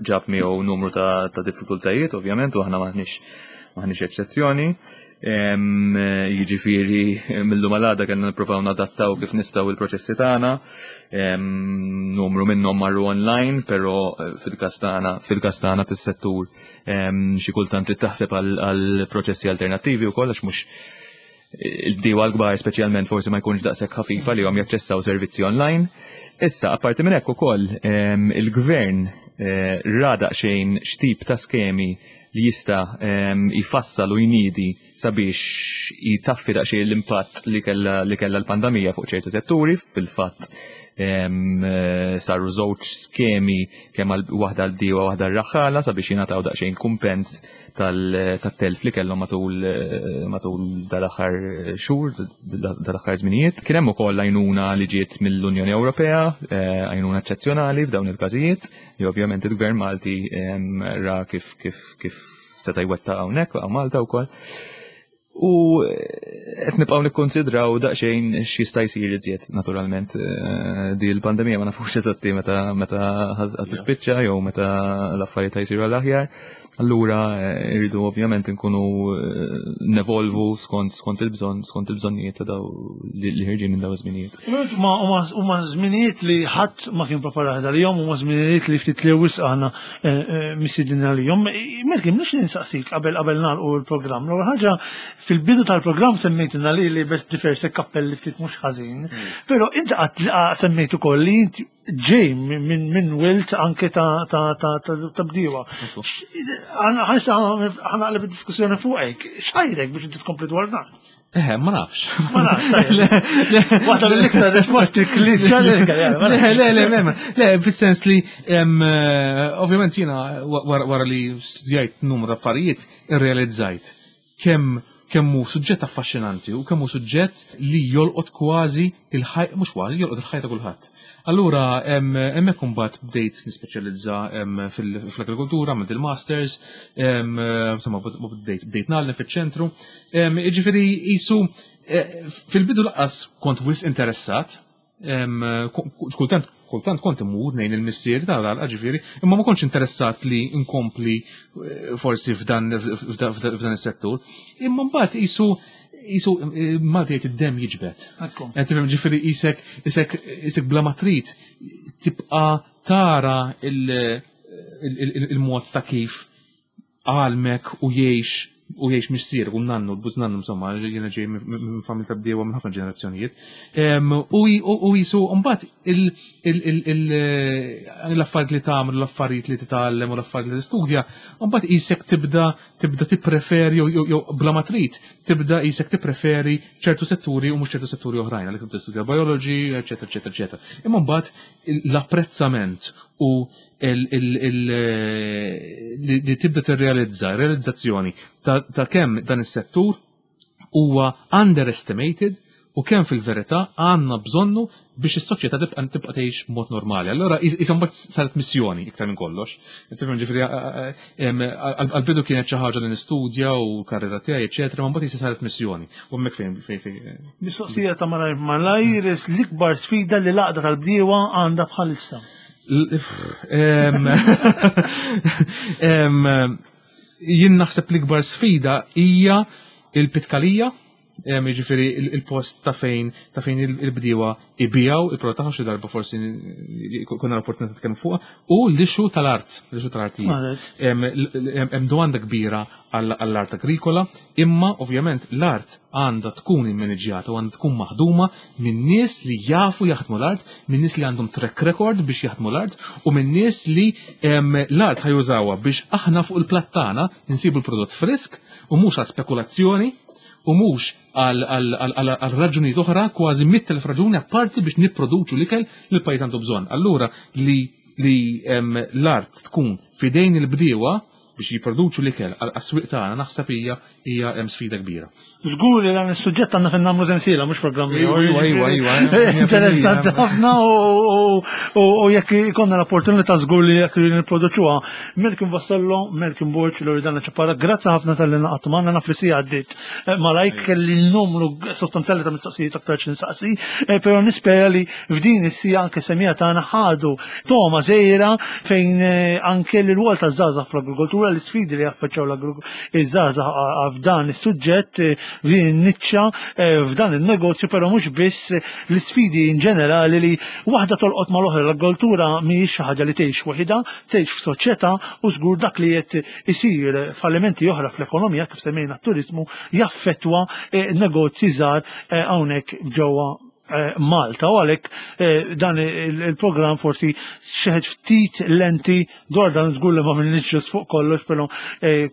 ġab miegħu numru ta' diffikultajiet, ovvjament, u aħna maħniex maħniex eċċezzjoni. Jiġifieri mill-lum għal kellna nippruvaw nadattaw kif nistgħu il-proċessi tagħna. Numru minnhom marru online, però eh, fil-każ tagħna fil-każ tagħna fis-settur xi kultant trid taħseb għal proċessi alternattivi wkoll għax mhux il-bdiewa l-kbar speċjalment forsi ma jkunx daqshekk ħafifa li jom jaċċessaw servizzi online. Issa, apparti minn hekk ukoll il-gvern eh, ra daqsxejn x'tip ta' skemi li jista' jfassal u jniedi sabiex jtaffi daqsxejn l-impatt li kellha li kellha l-pandemija fuq ċertu setturi, fil-fatt saru żewġ skemi kemm waħda għal bdiewa waħda r-raħħala sabiex jingħataw daqsxejn kumpens tat-telf li kellhom matul matul dal-aħħar xhur, dal-aħħar żminijiet. Kien hemm ukoll għajnuna li ġiet mill-Unjoni Ewropea, eh, għajnuna eċċezzjonali f'dawn il-każijiet. li ovvjament il-Gvern Malti ra kif kif kif seta' jwettaq hawnhekk hawn Malta wkoll. U eh, qed nibqgħu nikkonsidraw daqsxejn x'jista' jsir iżjed naturalment. Eh, di l-pandemija ma nafux eżatti meta meta ħad tispiċċa jew meta l-affarijiet jsiru għall-aħjar. Allura eh, irridu ovvjament nkunu eh, nevolvu skont skont il-bżonn, skont il-bżonnijiet ta' daw li ħirġin minn daw iż-żminijiet. Ma huma żminijiet li ħadd ma kien preparat għalihom, huma żminijiet li ftit li wisq aħna eh, misidin għalihom. Merki, mhux ninsaqsik qabel qabel nagħlqu l-programm. L-ewwel ħaġa fil-bidu tal-programm semmejtilna li li bes diversi kappelli ftit mhux ħażin, mm. però inti qatt semmejt ukoll li inti ġej minn wilt anke ta' ta' ta' ta' bdiewa. Ħanaqleb id-diskussjoni fuqek. X'ħajrek biex inti tkompli dwar dan? Eh, ma nafx. Ma nafx. Waħda mill-iktar risposti li Le, le, le, le, le, fis-sens li eh, ovvjament jiena wara li studjajt numru ta' affarijiet irrealizzajt kemm kemm hu suġġett affaxxinanti u kemm hu suġġett li jolqot kważi il-ħaj, mhux kważi, jolqot il-ħajja ta' kulħadd. Allura hemmhekk imbagħad bdejt nispeċjalizza fl-agrikoltura, għamilt il-masters, insomma bdejt bdejt ngħallem fiċ-ċentru. Jiġifieri qisu eh, fil-bidu laqqas kont wisq interessat, Kultant kultant kont imur nejn il-missier ta' l ġifieri, imma ma kontx interessat li nkompli eh, forsi f'dan is-settur. Imma mbagħad isu jisu eh, Malti jgħid id-dem jiġbed. Qed tifhem ġifieri isek isek isek bla ma trid tibqa' tara il-mod ta' kif għalmek u jgħix u jgħix missierek u nannu, l-bużnannu insomma, jiena ġej minn familja ta' bdiewa minn ħafna ġenerazzjonijiet. U jisu mbagħad l-affarijiet li tagħmel, l-affarijiet li titgħallem u l-affarijiet li tistudja, mbagħad qisek tibda tibda tippreferi jew bla ma trid tibda qisek tippreferi ċertu setturi u mhux ċertu setturi oħrajn, għalhekk tibda studja biology, eċetera, eċetera, eċetera. Imma mbagħad l-apprezzament u li tibda tirrealizza, realizzazzjoni ta' kemm dan is-settur huwa underestimated u kemm fil-verità għandna bżonnu biex is-soċjetà tibqa' tibqa' tgħix b'mod normali. Allura isa mbagħad saret missjoni iktar minn kollox. Tifhem ġifieri għall-bidu kienet xi ħaġa li nistudja u karriera tiegħi, eċetera, ma mbagħad isa saret missjoni. U hemmhekk fejn fejn fejn. Mistoqsija ta' malajr malajr l-ikbar sfida li l-għaqda tal-bdiewa għandha bħalissa. Jien naħseb l-ikbar sfida hija il-pitkalija. Jiġifieri il-post ta' fejn ta' fejn il-bdiewa ibijaw il-prodott tagħhom xi darba forsi konna l-opportunità nitkellmu fuqha, u l-issue tal-art, l-issue tal-artijiet. Hemm domanda kbira għall-art agrikola, imma ovvjament l-art għandha tkun immaniġjata u għandha tkun maħduma minn nies li jafu jaħdmu l-art, minn nies li għandhom track record biex jaħdmu l-art u minn nies li l-art ħajużawha biex aħna fuq il-platt tagħna nsibu l-prodott frisk u mhux għal spekulazzjoni u mhux għal raġunijiet oħra kważi 100,000 raġuni apparti biex nipproduċu l-ikel li l-pajjiż għandu bżonn. Allura li li l-art tkun fidejn il-bdiewa biex jipproduċu l-ikel għas-swieq tagħna naħseb hija hija hemm sfida kbira. Żgur li dan is-suġġett għandna fejn nagħmlu sensiela mhux programm ieħor. Iwa, iwa, iwa. Interessanti ħafna u jekk ikollna l-opportunità żgur li jekk nipproduċuha. Melkin Vassallo, Melkin Borg, Loredana Ċapara, grazzi ħafna tal-li naqgħadtu magħna naf li si għaddiet. Eh, malajk kelli numru sostanzjali ta' mistoqsijiet aktar xi nistaqsi, eh, però nispera li f'din is-sija anke semija tagħna ħadu toma żejra fejn eh, anke l-rwol ta' żgħażagħ fl-agrikoltura, l-isfidi li jaffaċċjaw iż-żgħażagħ f'dan is-suġġett, f'din in-niċċa, f'dan il-negozju, però mhux biss l-isfidi in ġenerali li waħda tolqot mal-oħra l-agrikoltura mhijiex xi ħaġa li tgħix waħidha, tgħix f'soċjetà u żgur dak li qed isir fallimenti oħra fl-ekonomija kif semmejna t-turizmu jaffettwa eh, negozji żgħar eh, hawnhekk ġewwa eh, Malta u għalhekk dan il-programm forsi xeħed ftit lenti dwar dan żgur li ma minnix ġust fuq kollox però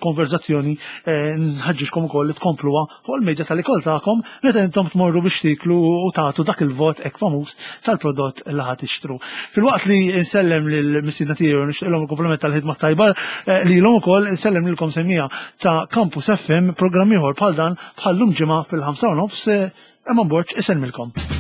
konverzazzjoni nħaġġiġkom ukoll li tkompluha fuq il-medja tal-ikol tagħkom meta intom tmorru biex tiklu u tagħtu dak il-vot hekk famuż tal-prodott li ħa tixtru. Filwaqt li nsellem lil mistiedna tiegħi u nixtieqlhom il-kumplament tal-ħidma tajba eh, lilhom ukoll insellem lilkom semmija ta' Campus FM programm ieħor bħal dan bħal-lum ġimgħa fil-5 nofs eh, Eman Borg isellmilkom.